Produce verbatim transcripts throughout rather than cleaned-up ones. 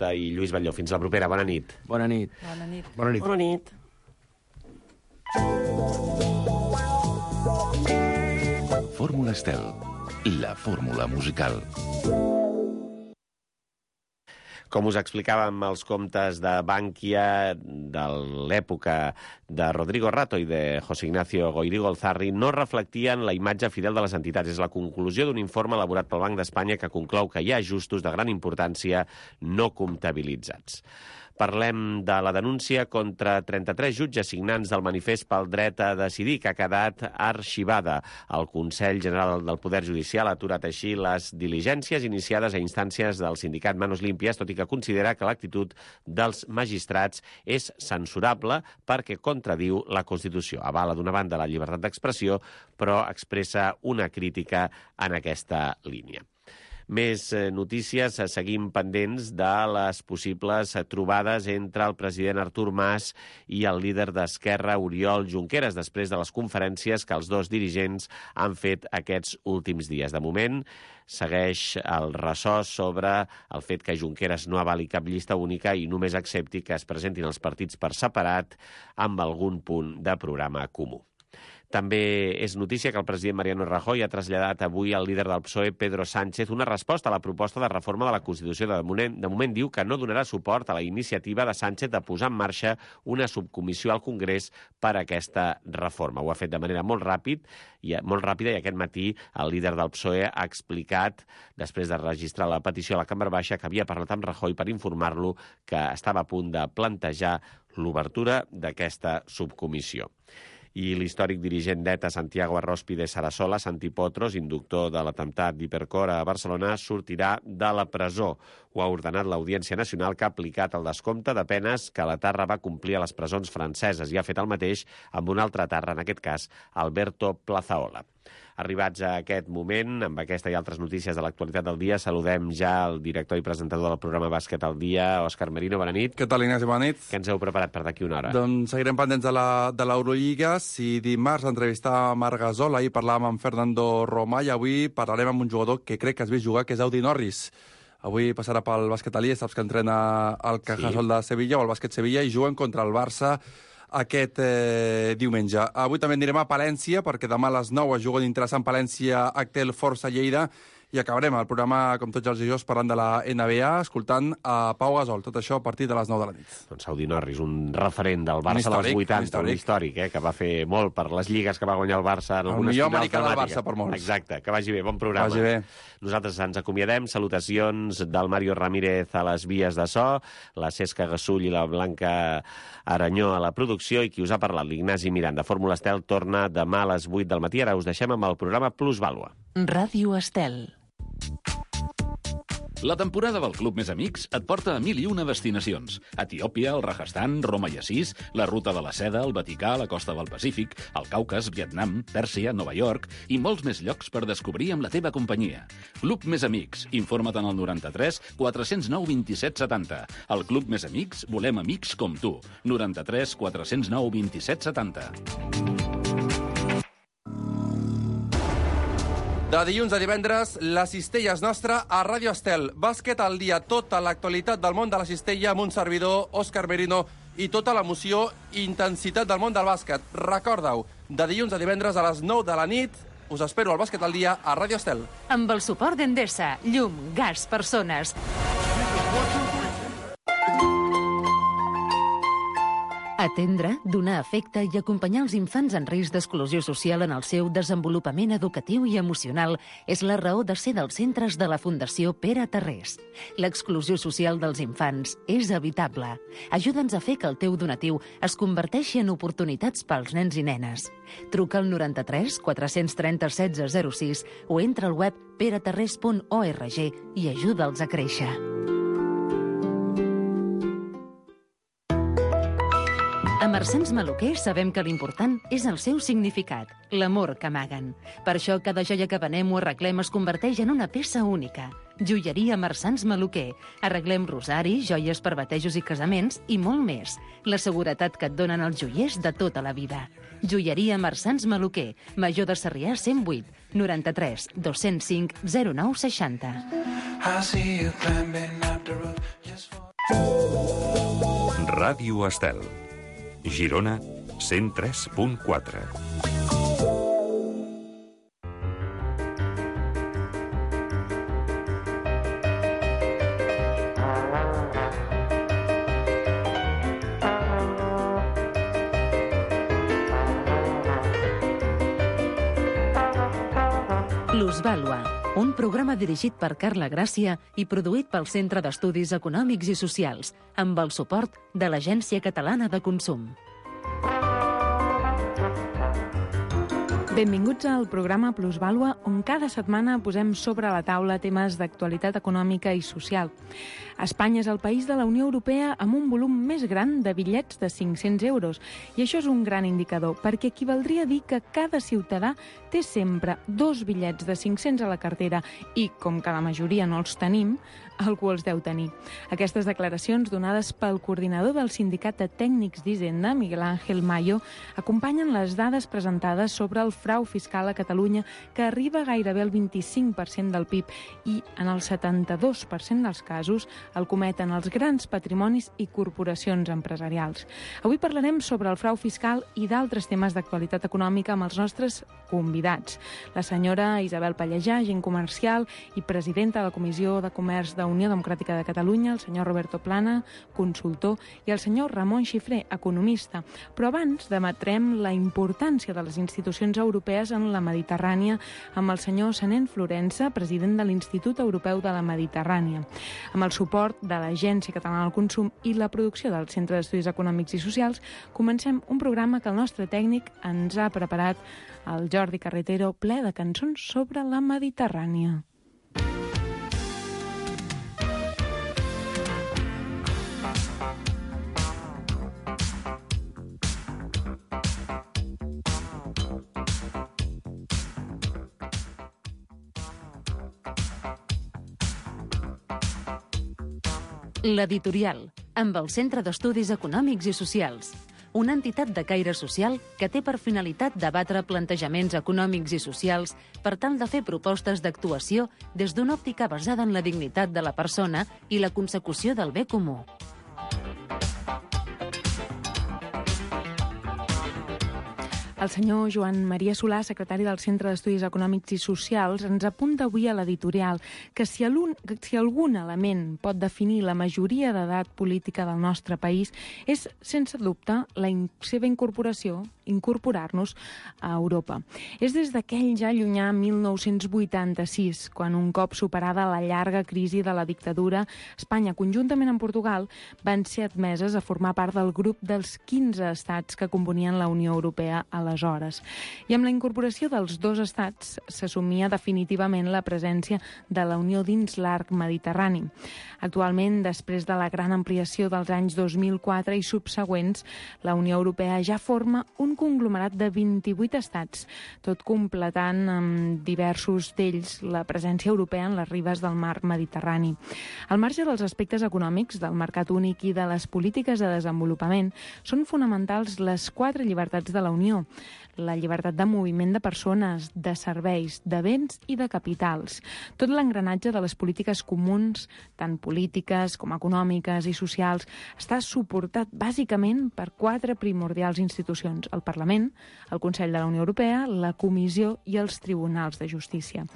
I Lluís Batlló. Fins la propera. Bona nit. Bona nit. Bona nit. Bona nit. Bona nit. Fórmula Estel, la fórmula musical. Com us explicàvem, els comptes de Bankia de l'època de Rodrigo Rato i de José Ignacio Goirigolzarri no reflectien la imatge fidel de les entitats. És la conclusió d'un informe elaborat pel Banc d'Espanya que conclou que hi ha ajustos de gran importància no comptabilitzats. Parlem de la denúncia contra trenta-tres jutges signants del manifest pel dret a decidir, que ha quedat arxivada. El Consell General del Poder Judicial ha aturat així les diligències iniciades a instàncies del sindicat Manos Limpias, tot i que considera que l'actitud dels magistrats és censurable perquè contradiu la Constitució. Avala d'una banda la llibertat d'expressió, però expressa una crítica en aquesta línia. Més notícies, seguim pendents de les possibles trobades entre el president Artur Mas i el líder d'Esquerra, Oriol Junqueras, després de les conferències que els dos dirigents han fet aquests últims dies. De moment, segueix el ressò sobre el fet que Junqueras no avali cap llista única i només accepti que es presentin els partits per separat amb algun punt de programa comú. També és notícia que el president Mariano Rajoy ha traslladat avui al líder del P S O E, Pedro Sánchez, una resposta a la proposta de reforma de la Constitució. De moment, de moment diu que no donarà suport a la iniciativa de Sánchez de posar en marxa una subcomissió al Congrés per a aquesta reforma. Ho ha fet de manera molt ràpid i molt ràpida i aquest matí el líder del P S O E ha explicat, després de registrar la petició a la Cambra Baixa, que havia parlat amb Rajoy per informar-lo que estava a punt de plantejar l'obertura d'aquesta subcomissió. I l'històric dirigent d'ETA, Santiago Arróspide Sarasola, Santi Potros, inductor de l'atemptat d'Hipercor a Barcelona, sortirà de la presó. Ho ha ordenat l'Audiència Nacional, que ha aplicat el descompte de penes que la Tarra va complir a les presons franceses i ha fet el mateix amb un altre Tarra, en aquest cas, Alberto Plazaola. Arribats a aquest moment, amb aquesta i altres notícies de l'actualitat del dia, saludem ja el director i presentador del programa Bàsquet al dia, Òscar Merino. Bona nit. Què tal, Ignasi? Bona nit. Què ens heu preparat per d'aquí una hora? Doncs seguirem pendents de l'Eurolliga. Si dimarts entrevistàvem Marc Gasol, ahir parlàvem amb Fernando Romà i avui parlarem amb un jugador que crec que has vist jugar, que és Audi Norris. Avui passarà pel bàsquet Alié, saps que entrena el Cajasol de Sevilla o el bàsquet Sevilla i juguen contra el Barça aquest eh, diumenge. Avui també anirem a Palència, perquè demà a les nou es juga un interessant Palència Actel Força Lleida, i acabarem el programa, com tots els dijous, parlant de la N B A, escoltant a Pau Gasol. Tot això a partir de les nou de la nit. Doncs Audi Norris, un referent del Barça dels vuitanta, un històric, eh, que va fer molt per les lligues que va guanyar el Barça en algunes finals dramàtiques. El millor americà del Barça per molts. Exacte, que vagi bé, bon programa. Vagi bé. Nosaltres ens acomiadem. Salutacions del Mario Ramírez a les vies de so, la Cesca Gasull i la Blanca Aranyó a la producció, i qui us ha parlat, l'Ignasi Miranda. Fórmula Estel torna demà a les vuit del matí. Ara us deixem amb el programa Plusvàlua. Ràdio Estel. La temporada del Club Més Amics et porta a mil i una destinacions. Etiòpia, el Rajasthan, Roma i Assís, la Ruta de la Seda, el Vaticà, la costa del Pacífic, el Caucas, Vietnam, Pèrsia, Nova York i molts més llocs per descobrir amb la teva companyia. Club Més Amics. Informa't en el noranta-tres quatre zero nou vint set setanta. Al Club Més Amics volem amics com tu. noranta-tres quatre zero nou vint set setanta. De dilluns a divendres, la cistella és nostra a Ràdio Estel. Bàsquet al dia, tota l'actualitat del món de la cistella amb un servidor, Òscar Merino, i tota l'emoció i intensitat del món del bàsquet. Recorda-ho, de dilluns a divendres a les nou de la nit, us espero al Bàsquet al dia a Ràdio Estel. Amb el suport d'Endesa, llum, gas, persones. Atendre, donar afecte i acompanyar els infants en risc d'exclusió social en el seu desenvolupament educatiu i emocional és la raó de ser dels centres de la Fundació Pere Tarrés. L'exclusió social dels infants és evitable. Ajuda'ns a fer que el teu donatiu es converteixi en oportunitats pels nens i nenes. Truca al noranta-tres quatre trenta setze zero sis o entra al web peretarrés punt org i ajuda'ls a créixer. A Marsans Maluquer sabem que l'important és el seu significat, l'amor que amaguen. Per això cada joia que venem o arreglem es converteix en una peça única. Joieria Marsans Maluquer. Arreglem rosaris, joies per batejos i casaments i molt més. La seguretat que et donen els joiers de tota la vida. Joieria Marsans Maluquer, Major de Sarrià cent vuit, noranta-tres dos-cents cinc zero nou seixanta. Ràdio Estel. Girona, cent tres punt quatre. Plusvàlua, un programa dirigit per Carla Gràcia i produït pel Centre d'Estudis Econòmics i Socials, amb el suport de l'Agència Catalana de Consum. Benvinguts al programa Plusvàlua, on cada setmana posem sobre la taula temes d'actualitat econòmica i social. Espanya és el país de la Unió Europea amb un volum més gran de bitllets de cinc-cents euros, i això és un gran indicador, perquè equivaldria a dir que cada ciutadà té sempre dos bitllets de cinc-cents a la cartera i, com que la majoria no els tenim, algú els deu tenir. Aquestes declaracions donades pel coordinador del Sindicat de Tècnics d'Hisenda, Miguel Ángel Mayo, acompanyen les dades presentades sobre el frau fiscal a Catalunya, que arriba gairebé al vint-i-cinc per cent del P I B i, en el setanta-dos per cent dels casos, el cometen els grans patrimonis i corporacions empresarials. Avui parlarem sobre el frau fiscal i d'altres temes d'actualitat econòmica amb els nostres convidats. La senyora Isabel Pallejà, agent comercial i presidenta de la Comissió de Comerç de Unió Democràtica de Catalunya, el senyor Roberto Plana, consultor, i el senyor Ramon Xifré, economista. Però abans debatrem la importància de les institucions europees en la Mediterrània amb el senyor Sanent Florença, president de l'Institut Europeu de la Mediterrània. Amb el suport de l'Agència Catalana del Consum i la producció del Centre d'Estudis Econòmics i Socials, comencem un programa que el nostre tècnic ens ha preparat, el Jordi Carretero, ple de cançons sobre la Mediterrània. L'Editorial, amb el Centre d'Estudis Econòmics i Socials, una entitat de caire social que té per finalitat debatre plantejaments econòmics i socials per tal de fer propostes d'actuació des d'una òptica basada en la dignitat de la persona i la consecució del bé comú. El senyor Joan Maria Solà, secretari del Centre d'Estudis Econòmics i Socials, ens apunta avui a l'editorial que si, algun, si algun element pot definir la majoria d'edat política del nostre país és, sense dubte, la in seva incorporació, incorporar-nos a Europa. És des d'aquell ja llunyà mil nou-cents vuitanta-sis, quan un cop superada la llarga crisi de la dictadura, Espanya, conjuntament amb Portugal, van ser admeses a formar part del grup dels quinze estats que componien la Unió Europea a aleshores. I amb la incorporació dels dos estats s'assumia definitivament la presència de la Unió dins l'arc mediterrani. Actualment, després de la gran ampliació dels anys dos mil quatre i subsegüents, la Unió Europea ja forma un conglomerat de vint-i-vuit estats, tot completant amb diversos d'ells la presència europea en les ribes del mar Mediterrani. Al marge dels aspectes econòmics, del mercat únic i de les polítiques de desenvolupament, són fonamentals les quatre llibertats de la Unió: la llibertat de moviment de persones, de serveis, de béns i de capitals. Tot l'engranatge de les polítiques comuns, tant polítiques com econòmiques i socials, està suportat bàsicament per quatre primordials institucions: el Parlament, el Consell de la Unió Europea, la Comissió i els Tribunals de Justícia.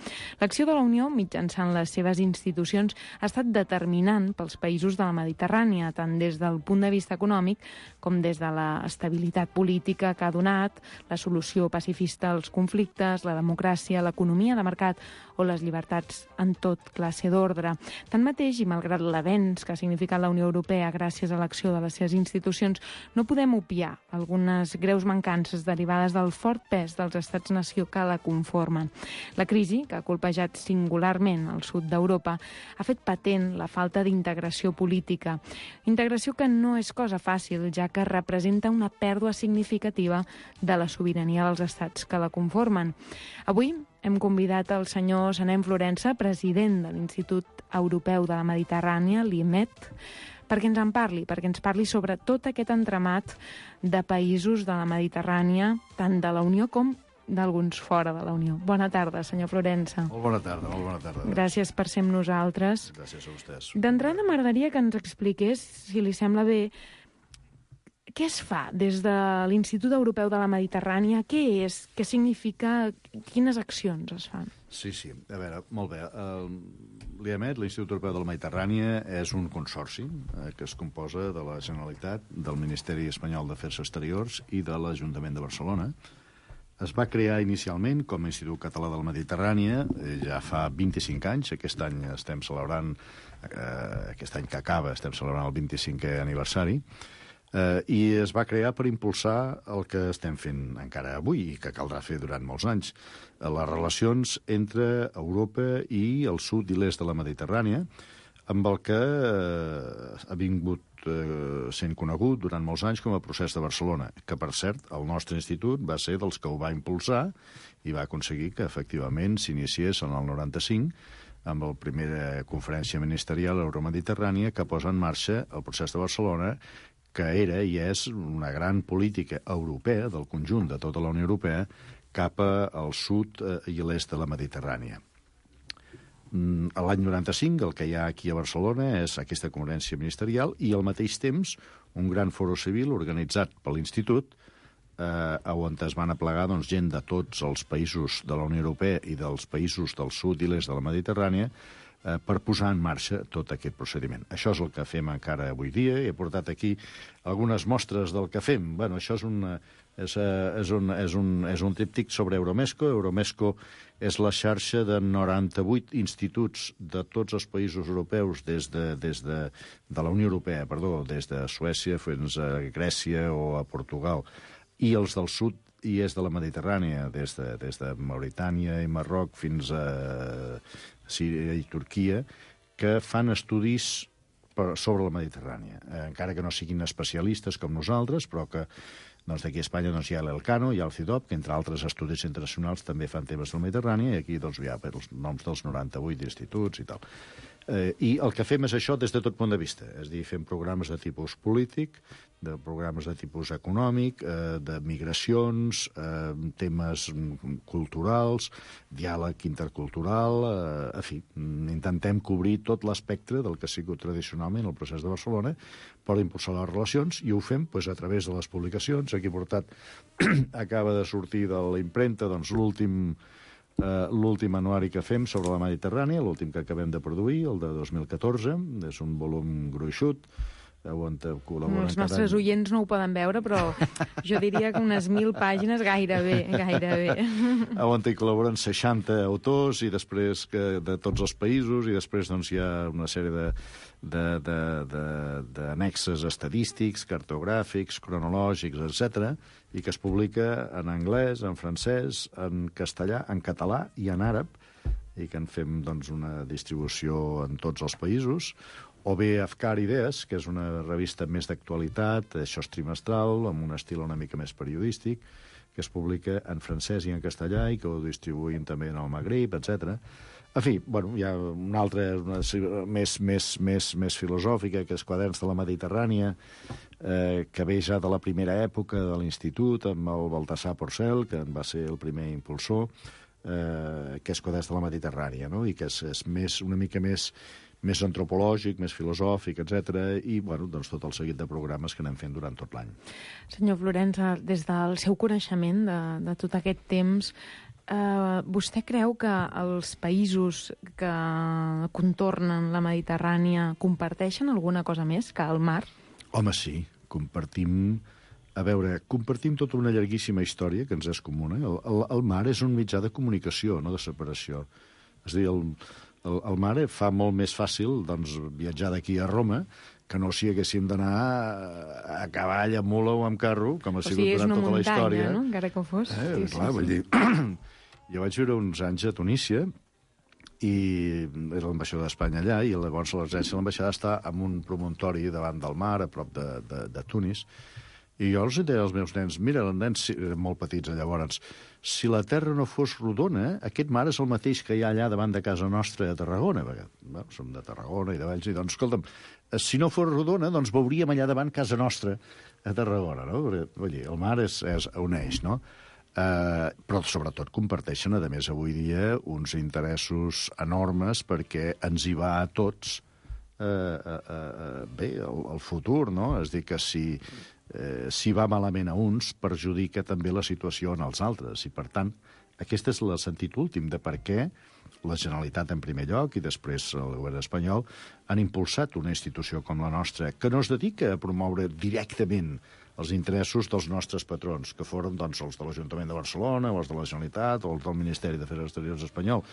L'acció de la Unió, mitjançant les seves institucions, ha estat determinant pels països de la Mediterrània, tant des del punt de vista econòmic com des de l'estabilitat política que ha donat, la solució pacifista als conflictes, la democràcia, l'economia de mercat o les llibertats en tot classe d'ordre. Tanmateix, i malgrat l'avenç que ha significat la Unió Europea gràcies a l'acció de les seves institucions, no podem obviar algunes greus mancances derivades del fort pes dels estats-nació que la conformen. La crisi, que ha colpejat singularment el sud d'Europa, ha fet patent la falta d'integració política. Integració que no és cosa fàcil, ja que representa una pèrdua significativa de la sobirania dels estats que la conformen. Avui hem convidat el senyor Sanent Florença, president de l'Institut Europeu de la Mediterrània, l'I M E D, perquè ens en parli, perquè ens parli sobre tot aquest entramat de països de la Mediterrània, tant de la Unió com d'alguns fora de la Unió. Bona tarda, senyor Florença. Molt bona tarda, molt bona tarda. Gràcies per ser amb nosaltres. Gràcies a vostès. D'entrada, m'agradaria que ens expliqués, si li sembla bé, què es fa des de l'Institut Europeu de la Mediterrània? Què és? Què significa? Quines accions es fan? Sí, sí. A veure, molt bé. L'I E M E T, l'Institut Europeu de la Mediterrània, és un consorci eh, que es composa de la Generalitat, del Ministeri Espanyol d'Afers Exteriors i de l'Ajuntament de Barcelona. Es va crear inicialment com a Institut Català de la Mediterrània, eh, ja fa vint-i-cinc anys. Aquest any estem celebrant, eh, aquest any que acaba, estem celebrant el vint-i-cinquè aniversari, eh, i es va crear per impulsar el que estem fent encara avui i que caldrà fer durant molts anys, eh, les relacions entre Europa i el sud i l'est de la Mediterrània, amb el que eh, ha vingut eh, sent conegut durant molts anys com a procés de Barcelona, que, per cert, el nostre institut va ser dels que ho va impulsar i va aconseguir que, efectivament, s'iniciés en el noranta-cinc amb la primera conferència ministerial euromediterrània que posa en marxa el procés de Barcelona, que era i és una gran política europea, del conjunt de tota la Unió Europea, cap al sud eh, i l'est de la Mediterrània. A l'any noranta-cinc el que hi ha aquí a Barcelona és aquesta conferència ministerial i al mateix temps un gran foro civil organitzat per l'Institut eh, on es van aplegar doncs, gent de tots els països de la Unió Europea i dels països del sud i l'est de la Mediterrània eh, per posar en marxa tot aquest procediment. Això és el que fem encara avui dia. He portat aquí algunes mostres del que fem. Bueno, això és una... És, és, un, és, un, és un tríptic sobre Euromesco. Euromesco és la xarxa de noranta-vuit instituts de tots els països europeus des de, des de, de la Unió Europea, perdó, des de Suècia fins a Grècia o a Portugal, i els del sud i est de la Mediterrània, des de, des de Mauritània i Marroc fins a Síria i Turquia, que fan estudis per, sobre la Mediterrània, eh, encara que no siguin especialistes com nosaltres, però que doncs d'aquí a Espanya doncs, hi ha l'Elcano, hi ha el CIDOB, que entre altres estudis internacionals també fan temes del Mediterrani, i aquí doncs, hi ha els noms dels noranta-vuit instituts i tal. Eh, I el que fem és això des de tot punt de vista, és a dir, fem programes de tipus polític, de programes de tipus econòmic, eh, de migracions, eh, temes culturals, diàleg intercultural, eh, en fi, intentem cobrir tot l'espectre del que ha sigut tradicionalment el procés de Barcelona per impulsar les relacions, i ho fem pues, a través de les publicacions. Aquí portat acaba de sortir de la impremta doncs, l'últim Uh, l'últim anuari que fem sobre la Mediterrània, l'últim que acabem de produir, el de dos mil catorze, és un volum gruixut, on col·laboren... Els nostres any... oients no ho poden veure, però jo diria que unes mil pàgines gairebé, gairebé. On hi col·laboren seixanta autors i després que de tots els països, i després doncs, hi ha una sèrie de d'annexes estadístics, cartogràfics, cronològics, etcètera, i que es publica en anglès, en francès, en castellà, en català i en àrab, i que en fem doncs, una distribució en tots els països, o bé Afkar Idees, que és una revista més d'actualitat, això és trimestral, amb un estil una mica més periodístic, que es publica en francès i en castellà i que ho distribuïm també en el Magrib, etcètera. En fi, bueno, hi ha una altra una, més, més, més, més filosòfica, que és Quaderns de la Mediterrània, eh, que ve ja de la primera època de l'Institut, amb el Baltasar Porcel, que en va ser el primer impulsor, eh, que és Quaderns de la Mediterrània, no? I que és, és més, una mica més, més antropològic, més filosòfic, etcètera, i bueno, doncs tot el seguit de programes que anem fent durant tot l'any. Senyor Florença, des del seu coneixement de, de tot aquest temps, Uh, vostè creu que els països que contornen la Mediterrània comparteixen alguna cosa més que el mar? Home, sí. Compartim... A veure, compartim tota una llarguíssima història que ens és comuna. El, el, el mar és un mitjà de comunicació, no de separació. És a dir, el, el, el mar fa molt més fàcil doncs, viatjar d'aquí a Roma que no si haguéssim d'anar a, a cavall, a mula o amb carro, com ha sigut o sigui, durant tota muntanya, la història. No? Encara que ho fos. Eh, sí, clar, sí, vull sí. dir... Jo vaig viure uns anys a Tunísia i era l'ambaixador d'Espanya allà, i llavors l'agència de l'ambaixada està en un promontori davant del mar, a prop de, de, de Tunis, I jo els deia als meus nens, mira, els nens eren molt petits llavors, si la Terra no fos rodona, aquest mar és el mateix que hi ha allà davant de casa nostra a Tarragona, perquè bueno, som de Tarragona i de Valls, i doncs, escolta'm, si no fos rodona, doncs veuríem allà davant casa nostra a Tarragona, no? Perquè, vull dir, el mar és, és un eix, no? Uh, però sobretot comparteixen, a més, avui dia uns interessos enormes perquè ens hi va a tots uh, uh, uh, bé, el, el futur, no? És dir, que si, uh, si va malament a uns, perjudica també la situació en els altres. I, per tant, aquest és el sentit últim de per què la Generalitat en primer lloc i després el govern espanyol han impulsat una institució com la nostra que no es dedica a promoure directament els interessos dels nostres patrons, que foren doncs, els de l'Ajuntament de Barcelona, o els de la Generalitat, o els del Ministeri d'Afers Exteriors espanyol,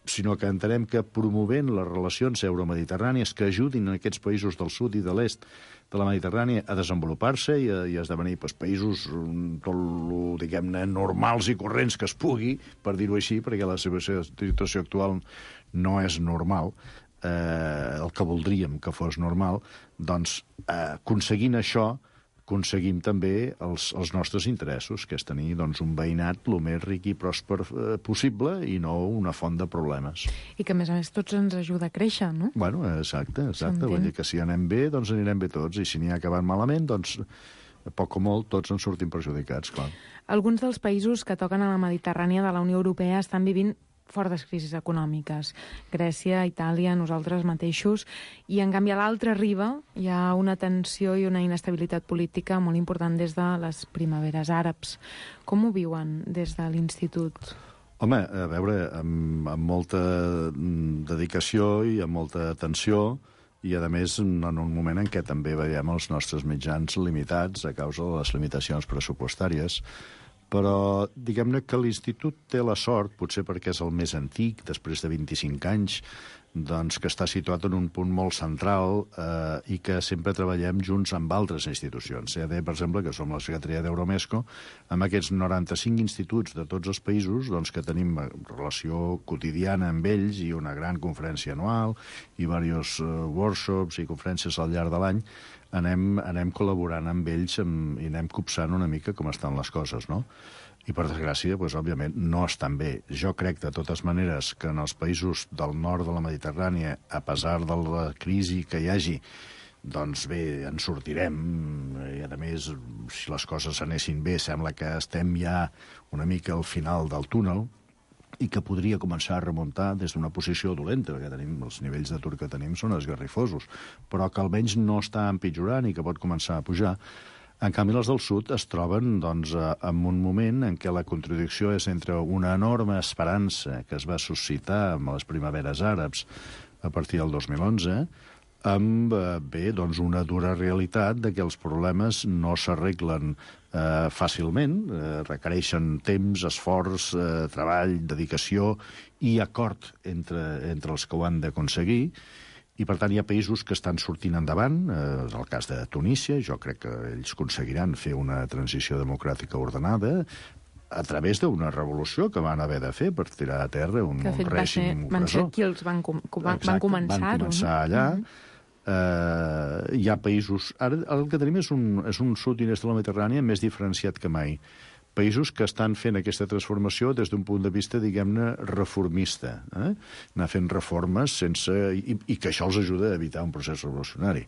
sinó que entenem que promovent les relacions euromediterrànies que ajudin a aquests països del sud i de l'est de la Mediterrània a desenvolupar-se i a, i a esdevenir pues, països tot lo, diguem-ne, normals i corrents que es pugui, per dir-ho així, perquè la seva situació actual no és normal, eh, el que voldríem que fos normal, doncs eh, aconseguint això aconseguim també els, els nostres interessos, que és tenir doncs, un veïnat el més ric i pròsper eh, possible i no una font de problemes. I que, a més a més, tots ens ajuda a créixer, no? Bueno, exacte, exacte. Vull dir que si anem bé, doncs anirem bé tots, i si n'hi ha acabat malament, doncs, a poc o molt, tots en sortim perjudicats, clar. Alguns dels països que toquen a la Mediterrània de la Unió Europea estan vivint fortes crisis econòmiques. Grècia, Itàlia, nosaltres mateixos. I, en canvi, a l'altra riba hi ha una tensió i una inestabilitat política molt important des de les primaveres àrabs. Com ho viuen des de l'Institut? Home, a veure, amb, amb molta dedicació i amb molta atenció, i, a més, en un moment en què també veiem els nostres mitjans limitats a causa de les limitacions pressupostàries. Però diguem-ne que l'Institut té la sort, potser perquè és el més antic, després de vint-i-cinc anys, doncs que està situat en un punt molt central eh, i que sempre treballem junts amb altres institucions. C A D, per exemple, que som la secretaria d'Euromesco, amb aquests noranta-cinc instituts de tots els països doncs, que tenim relació quotidiana amb ells i una gran conferència anual i diversos uh, workshops i conferències al llarg de l'any, anem, anem col·laborant amb ells amb, i anem copsant una mica com estan les coses, no? I, per desgràcia, doncs, òbviament, no estan bé. Jo crec, de totes maneres, que en els països del nord de la Mediterrània, a pesar de la crisi que hi hagi, doncs bé, en sortirem. I, a més, si les coses anessin bé, sembla que estem ja una mica al final del túnel i que podria començar a remuntar des d'una posició dolenta, perquè tenim, els nivells d'atur que tenim són esgarrifosos, però que almenys no està empitjorant i que pot començar a pujar. En canvi, els del sud es troben doncs, en un moment en què la contradicció és entre una enorme esperança que es va suscitar amb les primaveres àrabs a partir del dos mil onze, amb bé, doncs, una dura realitat de que els problemes no s'arreglen eh, fàcilment, eh, requereixen temps, esforç, eh, treball, dedicació i acord entre, entre els que ho han d'aconseguir. I, per tant, hi ha països que estan sortint endavant. Eh, el cas de Tunísia, jo crec que ells aconseguiran fer una transició democràtica ordenada a través d'una revolució que van haver de fer per tirar a terra un, un règim opressor. Van ser qui els van, com, van, Exacte, van començar-ho. Van començar no? allà. Uh-huh. Uh, hi ha països... Ara el que tenim és un, és un sud i est de la Mediterrània més diferenciat que mai. Països que estan fent aquesta transformació des d'un punt de vista, diguem-ne, reformista. Eh? Anar fent reformes sense... I, i que això els ajuda a evitar un procés revolucionari.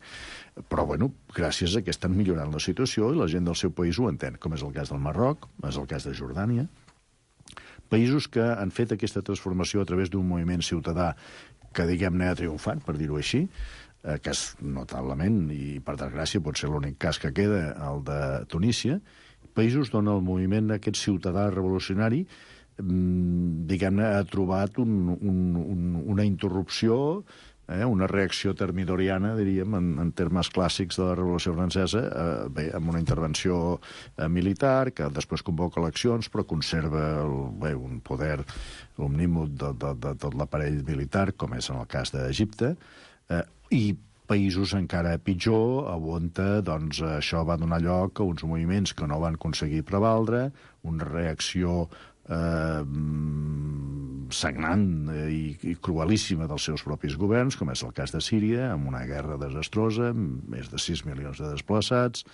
Però, bueno, gràcies a que estan millorant la situació i la gent del seu país ho entén, com és el cas del Marroc, és el cas de Jordània. Països que han fet aquesta transformació a través d'un moviment ciutadà que, diguem-ne, ha triomfat, per dir-ho així, eh, que és notablement, i per desgràcia pot ser l'únic cas que queda, el de Tunísia, països on el moviment aquest ciutadà revolucionari diguem-ne, ha trobat un, un, un, una interrupció, eh, una reacció termidoriana, diríem, en, en termes clàssics de la Revolució Francesa, eh, bé, amb una intervenció eh, militar, que després convoca eleccions, però conserva el, bé, un poder omnímod de, de, de tot l'aparell militar, com és en el cas d'Egipte, eh, i països encara pitjor, on doncs, això va donar lloc a uns moviments que no van aconseguir prevaldre, una reacció eh, sagnant i, i cruelíssima dels seus propis governs, com és el cas de Síria, amb una guerra desastrosa, amb més de sis milions de desplaçats,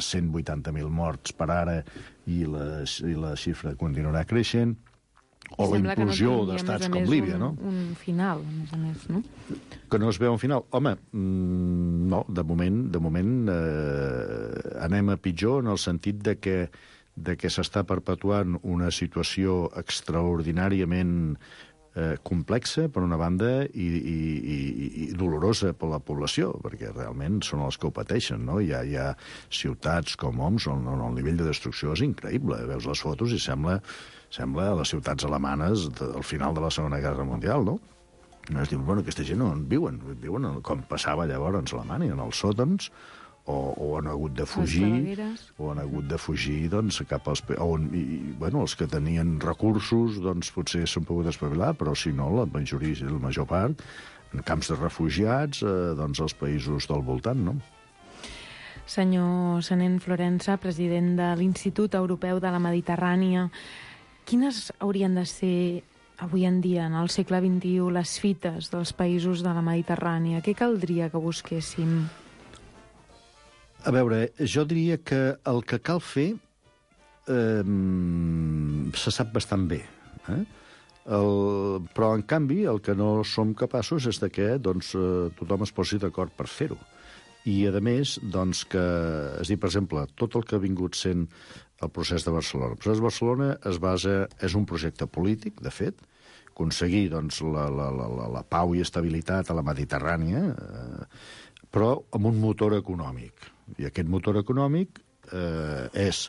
cent vuitanta mil morts per ara, i la, i la xifra continuarà creixent, o la implosió no d'estats com Líbia, un, no? un final, a més a més, no? Que no es veu un final. Home, mmm, no, de moment, de moment eh, anem a pitjor en el sentit de que, de que s'està perpetuant una situació extraordinàriament eh, complexa, per una banda, i, i, i, i dolorosa per la població, perquè realment són els que ho pateixen, no? Hi ha, hi ha ciutats com Homs on, on el nivell de destrucció és increïble. Veus les fotos i sembla... sembla a les ciutats alemanes al final de la Segona Guerra Mundial, no? No es diu, bueno, aquesta gent on viuen? Viuen com passava llavors a Alemanya, en els sòtons, o, o han hagut de fugir, o han hagut de fugir, doncs, cap als... On, i, bueno, els que tenien recursos, doncs, potser s'han pogut espavilar, però si no, la majoria, la major part, en camps de refugiats, eh, doncs, als països del voltant, no? Senyor Senén Florensa, president de l'Institut Europeu de la Mediterrània, quines haurien de ser, avui en dia, en el segle vint-i-u, les fites dels països de la Mediterrània? Què caldria que busquéssim? A veure, jo diria que el que cal fer eh, se sap bastant bé. Eh? El, però, en canvi, el que no som capaços és de que doncs, tothom es posi d'acord per fer-ho. I, a més, doncs, que, és dir, per exemple, tot el que ha vingut sent el procés de Barcelona. El procés de Barcelona es basa, és un projecte polític, de fet, aconseguir doncs, la, la, la, la pau i estabilitat a la Mediterrània, eh, però amb un motor econòmic. I aquest motor econòmic eh, és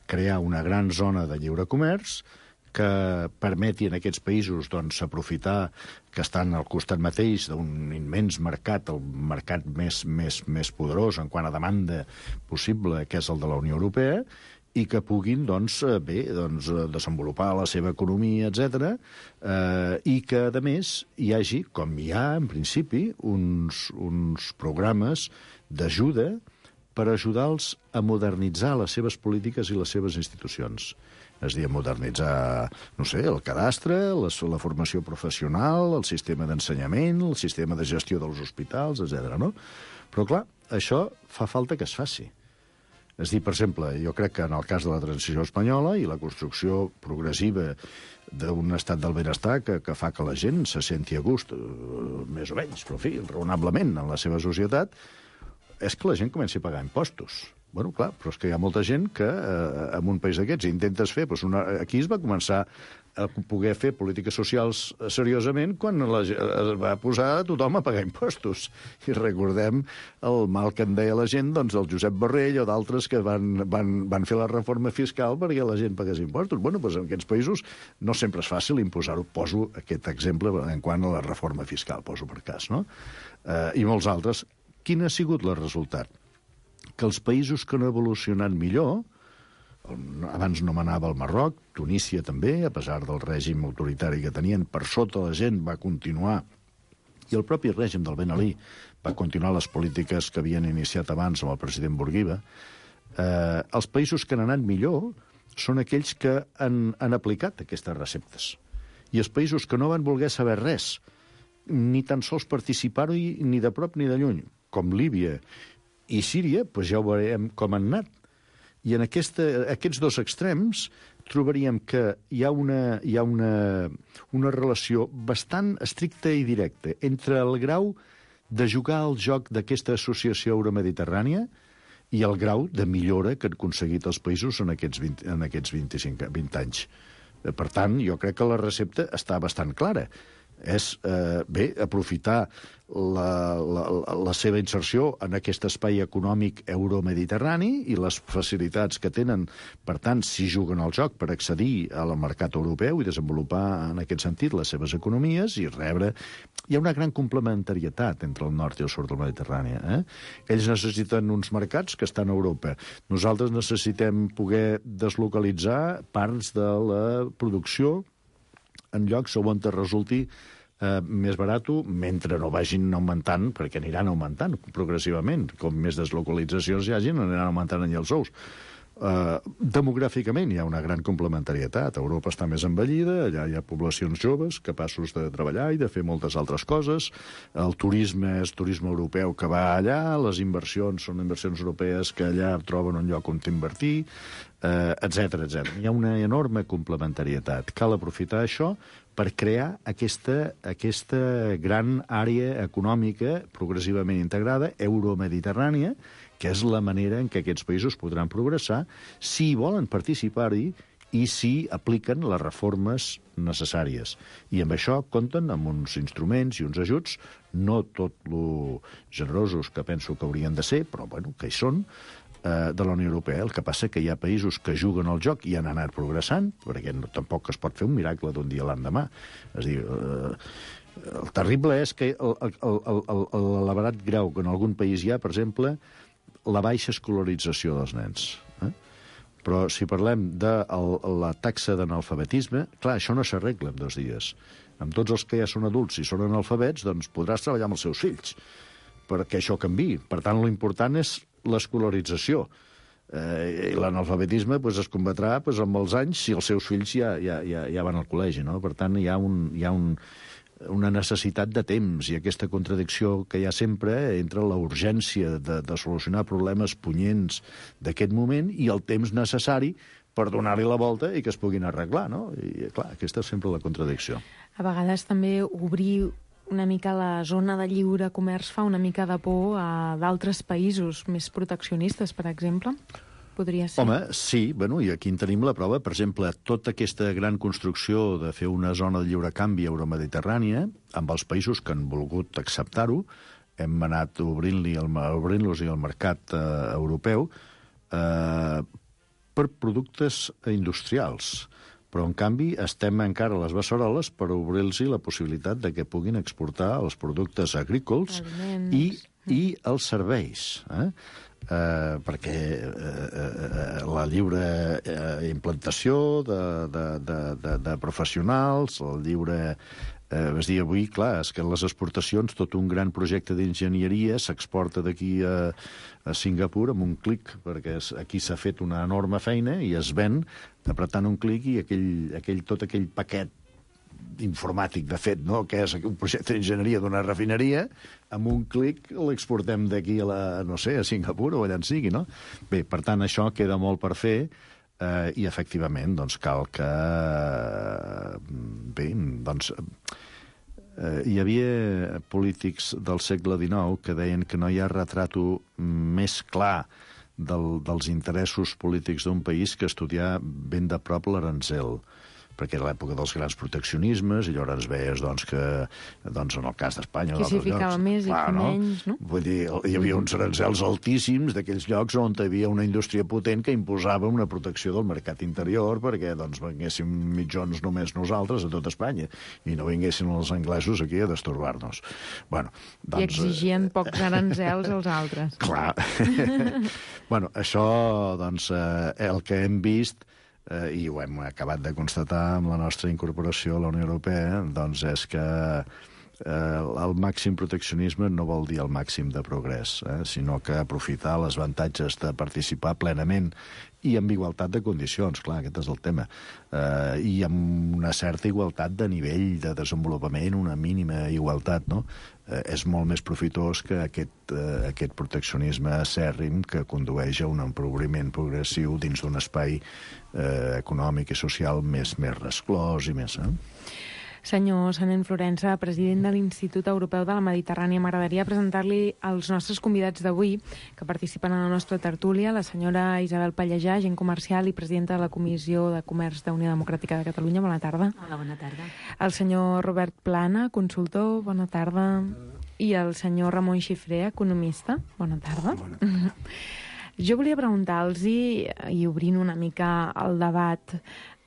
crear una gran zona de lliure comerç que permeti en aquests països doncs, aprofitar que estan al costat mateix d'un immens mercat, el mercat més, més, més poderós en quant a demanda possible, que és el de la Unió Europea, i que puguin doncs, bé, doncs, desenvolupar la seva economia, etcètera, eh, i que, a més, hi hagi, com hi ha, en principi, uns, uns programes d'ajuda per ajudar-los a modernitzar les seves polítiques i les seves institucions. És a dir, modernitzar, no sé, el cadastre, la, la formació professional, el sistema d'ensenyament, el sistema de gestió dels hospitals, etcètera. No? Però, clar, això fa falta que es faci. És a dir, per exemple, jo crec que en el cas de la transició espanyola i la construcció progressiva d'un estat del benestar que, que fa que la gent se senti a gust, eh, més o menys, però, en fi, raonablement en la seva societat, és que la gent comenci a pagar impostos. Bueno, clar, però és que hi ha molta gent que eh, en un país d'aquests intentes fer... Doncs una, aquí es va començar a poder fer polítiques socials seriosament quan la, es va posar a tothom a pagar impostos. I recordem el mal que en deia la gent, doncs el Josep Borrell o d'altres que van, van, van fer la reforma fiscal perquè la gent pagués impostos. Bueno, doncs en aquests països no sempre és fàcil imposar-ho. Poso aquest exemple en quant a la reforma fiscal, poso per cas, no? Eh, I molts altres. Quin ha sigut el resultat? Que els països que no han evolucionat millor, abans nomenava el Marroc, Tunísia també, a pesar del règim autoritari que tenien, per sota la gent va continuar, i el propi règim del Ben Ali va continuar les polítiques que havien iniciat abans amb el president Bourguiba, eh, els països que han anat millor són aquells que han, han aplicat aquestes receptes. I els països que no van voler saber res, ni tan sols participar-hi ni de prop ni de lluny, com Líbia i Síria, doncs ja ho veurem com han anat. I en aquesta, aquests dos extrems trobaríem que hi ha, una, hi ha una, una relació bastant estricta i directa entre el grau de jugar al joc d'aquesta associació euromediterrània i el grau de millora que han aconseguit els països en aquests, vint, en aquests vint-i-cinc, vint anys. Per tant, jo crec que la recepta està bastant clara. És, eh, bé, aprofitar la, la, la seva inserció en aquest espai econòmic euromediterrani i les facilitats que tenen, per tant, si juguen al joc per accedir al mercat europeu i desenvolupar en aquest sentit les seves economies i rebre... Hi ha una gran complementarietat entre el nord i el sud del Mediterrani. Eh? Ells necessiten uns mercats que estan a Europa. Nosaltres necessitem poder deslocalitzar parts de la producció en llocs on te resulti eh, més barat, mentre no vagin augmentant, perquè aniran augmentant progressivament. Com més deslocalitzacions hi hagin, aniran augmentant allà els ous. eh, demogràficament hi ha una gran complementarietat. Europa està més envellida, allà hi ha poblacions joves capaços de treballar i de fer moltes altres coses. El turisme és turisme europeu que va allà, les inversions són inversions europees que allà troben un lloc on invertir, eh, etcètera, etcètera. Hi ha una enorme complementarietat. Cal aprofitar això per crear aquesta, aquesta gran àrea econòmica progressivament integrada, euromediterrània, que és la manera en què aquests països podran progressar si volen participar-hi i si apliquen les reformes necessàries. I amb això compten amb uns instruments i uns ajuts, no tot lo generosos que penso que haurien de ser, però bueno, que hi són, eh, de la Unió Europea. El que passa que hi ha països que juguen al joc i han anat progressant, perquè no, tampoc es pot fer un miracle d'un dia a l'endemà. És a dir, eh, el terrible és que l'elevat grau que en algun país hi ha, per exemple, la baixa escolarització dels nens. Eh? Però si parlem de el, la taxa d'analfabetisme, clar, això no s'arregla en dos dies. Amb tots els que ja són adults, si són analfabets, doncs podràs treballar amb els seus fills, perquè això canviï. Per tant, l'important és l'escolarització. Eh, I l'analfabetisme pues, es combatrà pues, amb els anys si els seus fills ja, ja, ja, ja van al col·legi. No? Per tant, hi ha, un, hi ha un, una necessitat de temps i aquesta contradicció que hi ha sempre entre la urgència de, de solucionar problemes punyents d'aquest moment i el temps necessari per donar-li la volta i que es puguin arreglar. No? I, clar, aquesta és sempre la contradicció. A vegades també obrir una mica la zona de lliure comerç fa una mica de por a d'altres països més proteccionistes, per exemple? Podria ser. Home, sí, bueno, i aquí en tenim la prova. Per exemple, tota aquesta gran construcció de fer una zona de lliure canvi euromediterrània, amb els països que han volgut acceptar-ho, hem anat obrint-li el, obrint-los el mercat eh, europeu eh, per productes industrials. Però, en canvi, estem encara a les beceroles per obrir-los la possibilitat de que puguin exportar els productes agrícoles i, i els serveis. Eh? Eh, perquè eh, eh, la lliure eh, implantació de, de, de, de, de professionals, el lliure... Eh, és dir, avui, clar, és que les exportacions, tot un gran projecte d'enginyeria s'exporta d'aquí a, a Singapur amb un clic, perquè aquí s'ha fet una enorme feina i es ven apretant un clic i aquell, aquell, tot aquell paquet informàtic, de fet, no? Que és un projecte d'enginyeria d'una refineria, amb un clic l'exportem d'aquí a, la, no sé, a Singapur o allà en sigui, no? Bé, per tant, això queda molt per fer eh, i, efectivament, doncs, cal que... Bé, doncs... Eh, hi havia polítics del segle dinou que deien que no hi ha retrato més clar del, dels interessos polítics d'un país que estudiar ben de prop l'Aranzel, perquè era l'època dels grans proteccionismes, i llavors veies doncs, que doncs, en el cas d'Espanya... Qui s'hi ficava més clar, i qui no? menys, no? Vull dir, hi havia uns arancels altíssims d'aquells llocs on hi havia una indústria potent que imposava una protecció del mercat interior perquè doncs, vinguéssim mitjons només nosaltres a tot Espanya i no vinguessin els anglesos aquí a destorbar-nos. Bueno, doncs, I exigien eh... pocs arancels als altres. Clar. Bueno, això, doncs, eh, el que hem vist eh, i ho hem acabat de constatar amb la nostra incorporació a la Unió Europea, doncs és que eh, el màxim proteccionisme no vol dir el màxim de progrés, eh, sinó que aprofitar els avantatges de participar plenament i amb igualtat de condicions, clar, aquest és el tema, eh, i amb una certa igualtat de nivell de desenvolupament, una mínima igualtat, no? Eh, és molt més profitós que aquest, eh, aquest proteccionisme acèrrim que condueix a un empobriment progressiu dins d'un espai eh, econòmic i social més, més resclòs i més... Eh? Senyor Sanent Florença, president de l'Institut Europeu de la Mediterrània, m'agradaria presentar-li els nostres convidats d'avui, que participen en la nostra tertúlia, la senyora Isabel Pallejà, agent comercial i presidenta de la Comissió de Comerç d'Unió Democràtica de Catalunya. Bona tarda. Hola, bona tarda. El senyor Robert Plana, consultor. Bona tarda. I el senyor Ramon Xifré, economista. Bona tarda. Bona tarda. Jo volia preguntar-los, i, i obrint una mica el debat,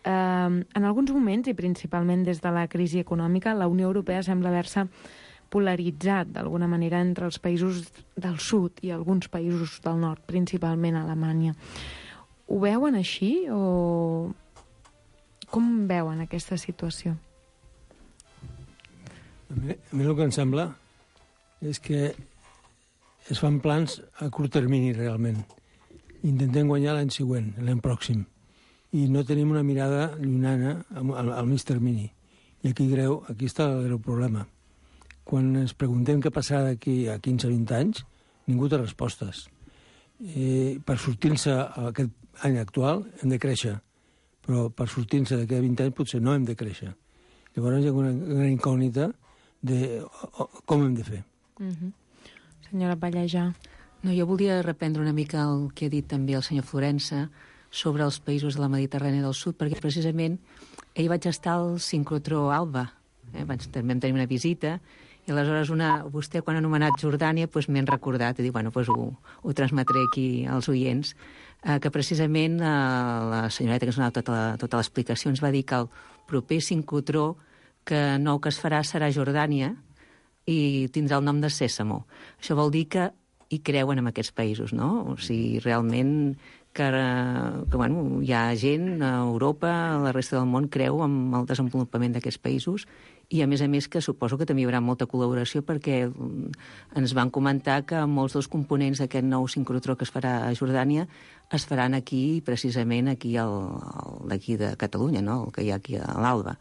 eh, en alguns moments, i principalment des de la crisi econòmica, la Unió Europea sembla haver-se polaritzat d'alguna manera entre els països del sud i alguns països del nord, principalment Alemanya. Ho veuen així o com veuen aquesta situació? A mi, a mi el que em sembla és que es fan plans a curt termini, realment. intentem guanyar l'any següent, l'any pròxim. I no tenim una mirada llunyana al, al mig termini. I aquí, greu, aquí està el greu problema. Quan ens preguntem què passarà d'aquí a quinze o vint anys, ningú té respostes. Eh, per sortir-se aquest any actual hem de créixer, però per sortir-se d'aquí a vint anys potser no hem de créixer. Llavors hi ha una gran incògnita de com hem de fer. Mm-hmm. Senyora Pallejà. No, jo volia reprendre una mica el que ha dit també el senyor Florença sobre els països de la Mediterrània del Sud, perquè precisament ahir vaig estar al sincrotró Alba, eh? Vaig, també vam tenir una visita, i aleshores una, vostè quan ha anomenat Jordània doncs m'he recordat, i dic, bueno, doncs ho, ho transmetré aquí als oients, eh, que precisament eh, la senyoreta que ens ha donat tota, la, tota l'explicació ens va dir que el proper sincrotró que nou que es farà serà Jordània i tindrà el nom de Sèsamo. Això vol dir que hi creuen en aquests països, no? O sigui, realment que, que bueno, hi ha gent a Europa, a la resta del món, creu en el desenvolupament d'aquests països i, a més a més, que suposo que també hi haurà molta col·laboració perquè ens van comentar que molts dels components d'aquest nou sincrotró que es farà a Jordània es faran aquí, precisament aquí al, d'aquí de Catalunya, no? El que hi ha aquí a l'Alba.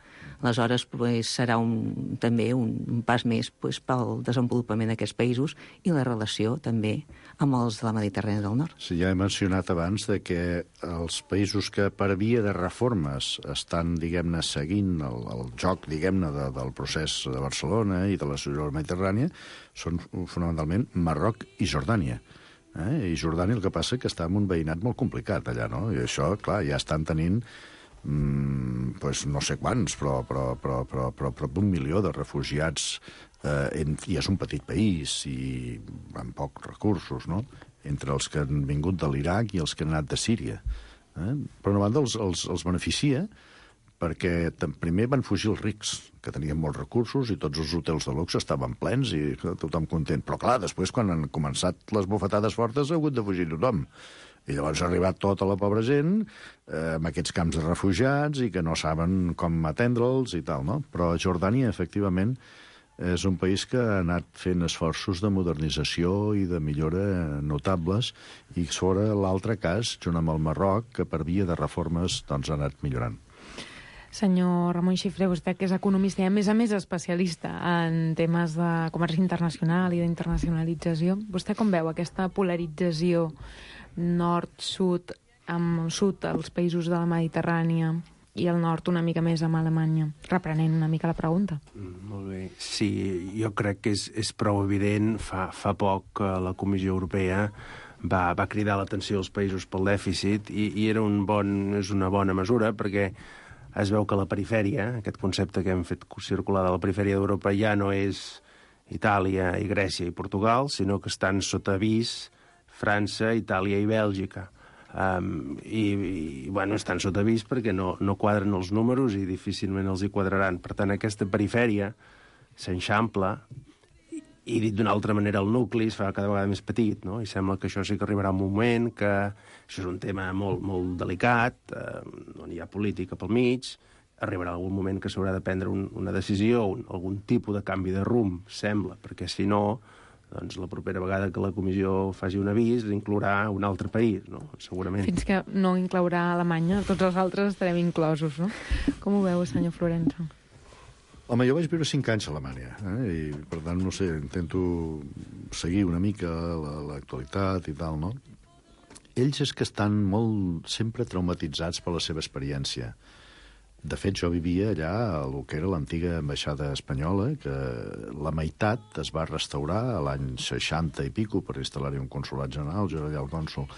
Aleshores, pues, serà un, també un, un pas més pues, pel desenvolupament d'aquests països i la relació també amb els de la Mediterrània del Nord. Sí, ja he mencionat abans de que els països que per via de reformes estan, diguem-ne, seguint el, el joc, diguem-ne, de, del procés de Barcelona i de la societat mediterrània són fonamentalment Marroc i Jordània. Eh? I Jordània el que passa que està en un veïnat molt complicat allà, no? I això, clar, ja estan tenint mm, pues no sé quants, però, però, però, però, però prop d'un milió de refugiats eh, en, i és un petit país i amb pocs recursos, no? Entre els que han vingut de l'Iraq i els que han anat de Síria. Eh? Per una banda, els, els, els beneficia perquè primer van fugir els rics, que tenien molts recursos i tots els hotels de luxe estaven plens i tothom content. Però clar, després quan han començat les bufetades fortes ha hagut de fugir tothom. I llavors ha arribat tota la pobra gent eh, amb aquests camps de refugiats i que no saben com atendre'ls i tal, no? Però Jordània, efectivament, és un país que ha anat fent esforços de modernització i de millora notables i sobre l'altre cas, junt amb el Marroc, que per via de reformes doncs, ha anat millorant. Senyor Ramon Xifré, vostè que és economista i a més a més especialista en temes de comerç internacional i d'internacionalització, vostè com veu aquesta polarització nord-sud, amb sud als països de la Mediterrània i el nord una mica més amb Alemanya? Reprenent una mica la pregunta. Mm, molt bé. Sí, jo crec que és, és prou evident. Fa, fa poc que la Comissió Europea va, va cridar l'atenció als països pel dèficit i, i era un bon, és una bona mesura perquè es veu que la perifèria, aquest concepte que hem fet circular de la perifèria d'Europa, ja no és Itàlia i Grècia i Portugal, sinó que estan sota avís França, Itàlia i Bèlgica. Um, i, i, bueno, estan sota avís perquè no, no quadren els números i difícilment els hi quadraran. Per tant, aquesta perifèria s'enxampla i, dit d'una altra manera, el nucli es fa cada vegada més petit, no? I sembla que això sí que arribarà un moment, que això és un tema molt, molt delicat, eh, on hi ha política pel mig, arribarà algun moment que s'haurà de prendre un, una decisió, un, algun tipus de canvi de rumb, sembla, perquè si no, doncs la propera vegada que la comissió faci un avís inclourà un altre país, no? Segurament. Fins que no inclourà Alemanya, tots els altres estarem inclosos, no? Com ho veu, senyor Florença? Home, jo vaig viure cinc anys a Alemanya, eh? I per tant, no sé, intento seguir una mica l'actualitat i tal, no? Ells és que estan molt sempre traumatitzats per la seva experiència. De fet, jo vivia allà a el que era l'antiga ambaixada espanyola, que la meitat es va restaurar a l'any seixanta i pico per instal·lar-hi un consolat general, jo era allà el cònsol,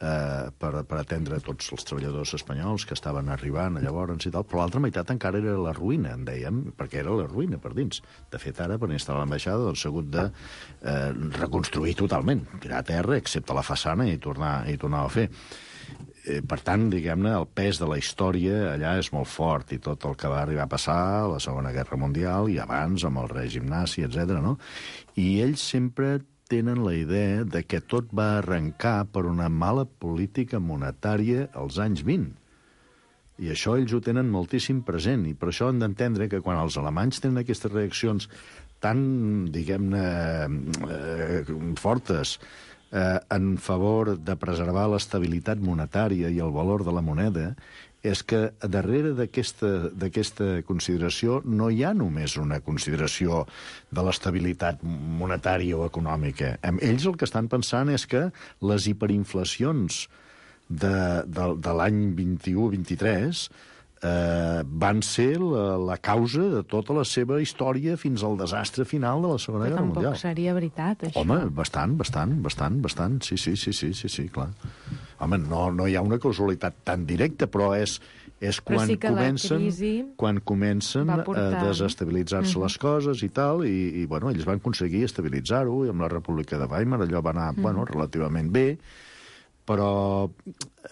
eh, per, per atendre tots els treballadors espanyols que estaven arribant llavors i tal, però l'altra meitat encara era la ruïna, en dèiem, perquè era la ruïna per dins. De fet, ara, per instal·lar l'ambaixada, doncs s'ha hagut de eh, reconstruir totalment, tirar a terra, excepte la façana, i tornar, i tornar a fer. Per tant, diguem-ne, el pes de la història allà és molt fort i tot el que va arribar a passar a la Segona Guerra Mundial i abans amb el règim nazi, etcètera, no? I ells sempre tenen la idea de que tot va arrencar per una mala política monetària als anys vint. I això ells ho tenen moltíssim present i per això hem d'entendre que quan els alemanys tenen aquestes reaccions tan, diguem-ne, eh, fortes eh, en favor de preservar l'estabilitat monetària i el valor de la moneda, és que darrere d'aquesta consideració no hi ha només una consideració de l'estabilitat monetària o econòmica. Ells el que estan pensant és que les hiperinflacions de, de, de l'any vint-i-u vint-i-tres eh, van ser la, la causa de tota la seva història fins al desastre final de la Segona Guerra Mundial. Però tampoc seria veritat, això. Home, bastant, bastant, bastant, bastant. Sí, sí, sí, sí, sí, sí, clar. Home, no, no hi ha una causalitat tan directa, però és, és quan, sí comencen, quan comencen portar... a desestabilitzar-se uh-huh. les coses i tal, i, i bueno, ells van aconseguir estabilitzar-ho, i amb la República de Weimar allò va anar uh-huh. bueno, relativament bé, però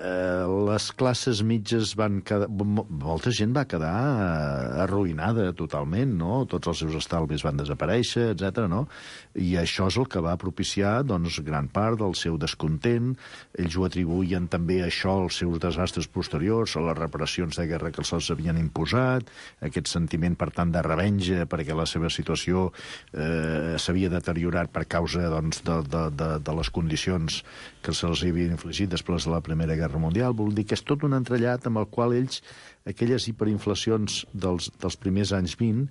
eh, les classes mitges van quedar... Molta gent va quedar eh, arruïnada totalment, no? Tots els seus estalvis van desaparèixer, etcètera, no? I això és el que va propiciar, doncs, gran part del seu descontent. Ells ho atribuïen també a això als seus desastres posteriors, a les reparacions de guerra que se'ls havien imposat, aquest sentiment, per tant, de revenja, perquè la seva situació eh, s'havia deteriorat per causa, doncs, de, de, de, de les condicions que se'ls havien infligit després de la Primera Guerra Mundial. Vol dir que és tot un entrellat amb el qual ells, aquelles hiperinflacions dels, dels primers anys vint,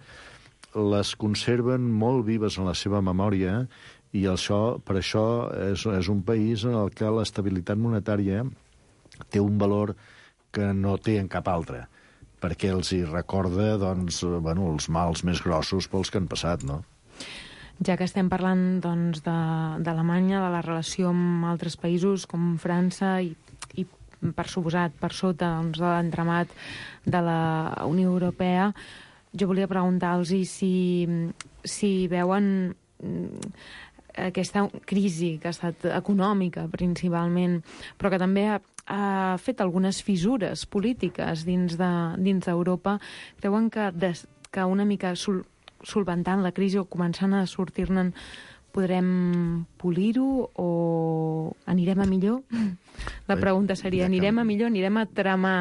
les conserven molt vives en la seva memòria, i això, per això és, és un país en el que l'estabilitat monetària té un valor que no té en cap altre, perquè els hi recorda, doncs, bueno, els mals més grossos pels que han passat, no? Ja que estem parlant doncs, d'Alemanya, de, de la relació amb altres països com França i, i per suposat, per sota doncs, de l'entramat de la Unió Europea, jo volia preguntar-los si, si veuen aquesta crisi que ha estat econòmica principalment, però que també ha, ha fet algunes fissures polítiques dins de, dins d'Europa. Creuen que, des, que una mica sol, solventant la crisi o començant a sortir-ne podrem polir-ho o anirem a millor? La pregunta seria, anirem a millor, anirem a tramar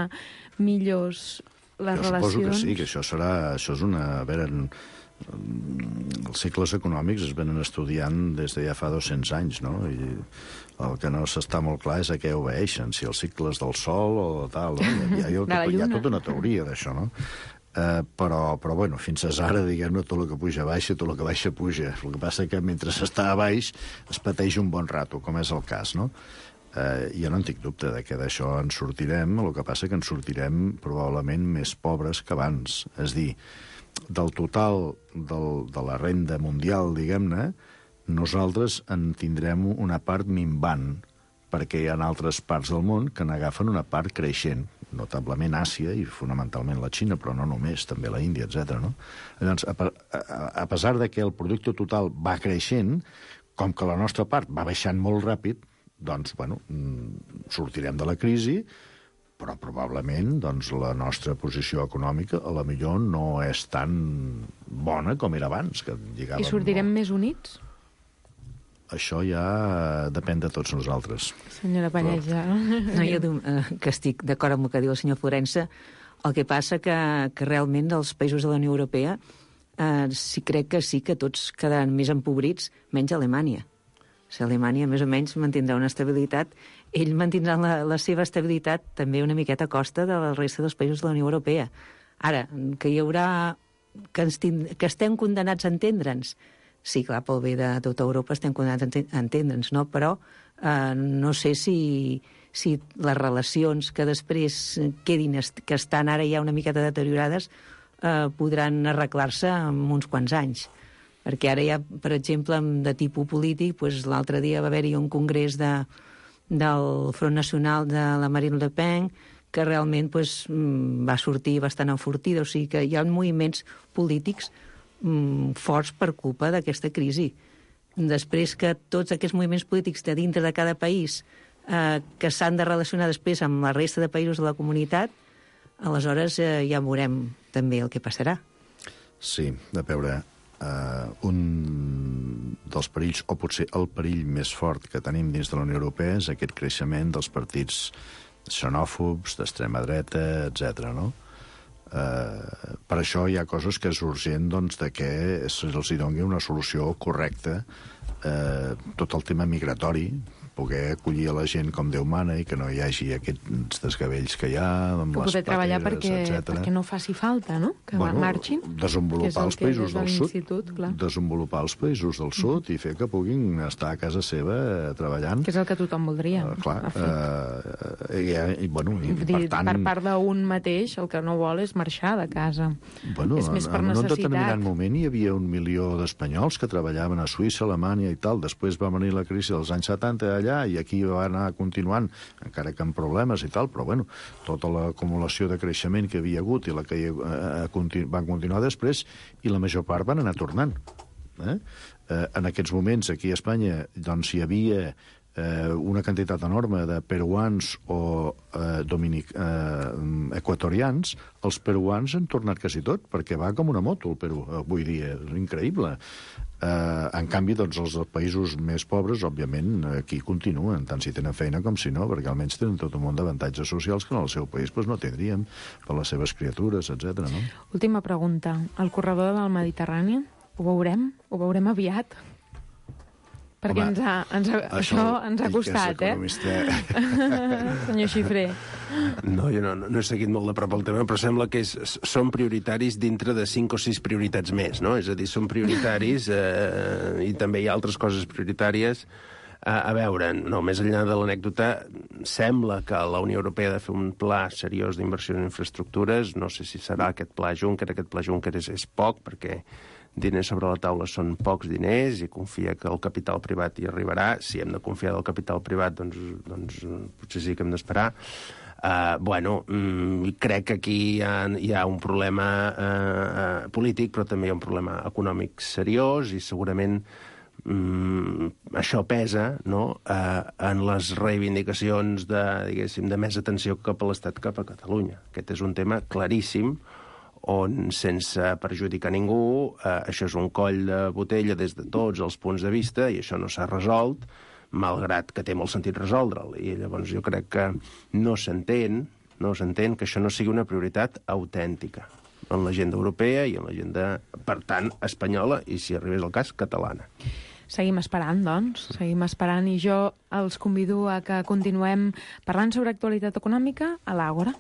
millors les jo relacions? Suposo que sí, que això serà... Això és una... A veure, els cicles econòmics es venen estudiant des de ja fa dos-cents anys, no? I el que no s'està molt clar és a què obeeixen, si els cicles del sol o tal, no? Hi ha, hi ha, hi ha tota una teoria d'això, no? Uh, però, però bueno, fins ara, diguem-ne, tot el que puja baixa, tot el que baixa puja. El que passa que mentre s'està a baix es pateix un bon rato, com és el cas, no? Uh, jo no en tinc dubte de que d'això en sortirem, el que passa que en sortirem probablement més pobres que abans. És dir, del total del, de la renda mundial, diguem-ne, nosaltres en tindrem una part minvant, perquè hi ha altres parts del món que n'agafen una part creixent, notablement Àsia i fonamentalment la Xina, però no només, també la Índia, etcètera. No? Llavors, a, a, a pesar de que el producte total va creixent, com que la nostra part va baixant molt ràpid, doncs, bueno, sortirem de la crisi, però probablement doncs, la nostra posició econòmica a la millor no és tan bona com era abans. Que I sortirem molt... més units? Això ja depèn de tots nosaltres. Senyora Pallejà. No, jo eh, que estic d'acord amb el que diu el senyor Florença. El que passa que, que realment dels països de la Unió Europea eh, sí crec que sí que tots quedaran més empobrits, menys Alemanya. O sigui, Alemanya més o menys mantindrà una estabilitat. Ell mantindrà la, la seva estabilitat també una miqueta a costa de la resta dels països de la Unió Europea. Ara, que hi haurà... que, tind... que estem condenats a entendre'ns. Sí, clar, pel bé de tota Europa estem condenats a entendre'ns, no? Però eh, no sé si, si les relacions que després quedin, que estan ara ja una miqueta deteriorades, eh, podran arreglar-se en uns quants anys. Perquè ara ja, per exemple, de tipus polític, doncs, l'altre dia va haver-hi un congrés de, del Front Nacional de la Marine Le Pen, que realment doncs, va sortir bastant enfortida. O sigui que hi ha moviments polítics forts per culpa d'aquesta crisi. Després que tots aquests moviments polítics de dintre de cada país eh, que s'han de relacionar després amb la resta de països de la comunitat, aleshores eh, ja veurem també el que passarà. Sí, a veure, eh, un dels perills, o potser el perill més fort que tenim dins de la Unió Europea és aquest creixement dels partits xenòfobs, d'extrema dreta, etcètera, no? Eh, per això hi ha coses que és urgent doncs, de que se'ls doni una solució correcta. Eh, tot el tema migratori, poder acollir a la gent com Déu mana i que no hi hagi aquests desgavells que hi ha amb que les poder treballar pateres, perquè, etcètera. perquè no faci falta, no? Que bueno, marxin. Desenvolupar els països del sud. Clar. Desenvolupar els països del sud i fer que puguin estar a casa seva eh, treballant. Que és el que tothom voldria. Uh, clar. Uh, i, i, bueno, i, dir, per tant... Per part d'un mateix, el que no vol és marxar de casa. Bueno, és més per en, en un necessitat. determinat moment hi havia un milió d'espanyols que treballaven a Suïssa, Alemanya i tal. Després va venir la crisi dels anys setanta allà i aquí va anar continuant, encara que amb problemes i tal, però bueno, tota l'acumulació de creixement que havia hagut i la que eh, continu van continuar després, i la major part van anar tornant. Eh? Eh, en aquests moments, aquí a Espanya, doncs hi havia eh, una quantitat enorme de peruans o eh, dominic, eh, equatorians. Els peruans han tornat quasi tot, perquè va com una moto el Perú avui dia, és increïble. Uh, en canvi, doncs, els països més pobres, òbviament, aquí continuen, tant si tenen feina com si no, perquè almenys tenen tot un munt d'avantatges socials que en el seu país pues, no tindríem, per les seves criatures, etcètera. No? Última pregunta. El corredor del Mediterrani, ho veurem? Ho veurem aviat? Perquè Home, ens ha, ens ha, això, això ens ha costat, eh? Senyor Xifré. No, jo no, no he seguit molt de prop el tema, però sembla que és, són prioritaris dintre de cinc o sis prioritats més, no? És a dir, són prioritaris eh, i també hi ha altres coses prioritàries. A, a veure, no, més enllà de l'anècdota, sembla que la Unió Europea ha de fer un pla seriós d'inversió en infraestructures. No sé si serà aquest pla Juncker. Aquest pla Juncker és, és poc, perquè diners sobre la taula són pocs diners i confia que el capital privat hi arribarà. Si hem de confiar del capital privat, doncs, doncs potser sí que hem d'esperar. Uh, bueno, mm, crec que aquí hi ha, hi ha un problema uh, polític, però també hi ha un problema econòmic seriós i segurament mm, això pesa, no?, uh, en les reivindicacions de, diguéssim, de més atenció cap a l'Estat, cap a Catalunya. Aquest és un tema claríssim on, sense perjudicar ningú, eh, això és un coll de botella des de tots els punts de vista i això no s'ha resolt, malgrat que té molt sentit resoldre'l. I llavors jo crec que no s'entén, no s'entén que això no sigui una prioritat autèntica en l'agenda europea i en l'agenda, per tant, espanyola i, si arribés el cas, catalana. Seguim esperant, doncs, seguim esperant i jo els convido a que continuem parlant sobre actualitat econòmica a l'Àgora.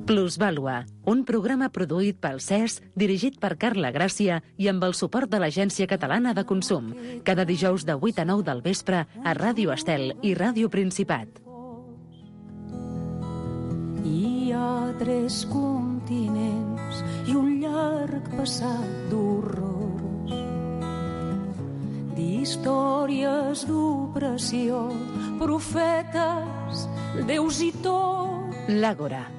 Plusvàlua, un programa produït pel C E S, dirigit per Carla Gràcia i amb el suport de l'Agència Catalana de Consum. Cada dijous de vuit a nou del vespre a Ràdio Estel i Ràdio Principat. Hi ha tres continents i un llarg passat d'horrors, d'històries d'opressió, profetes, déus i tot. L'Àgora.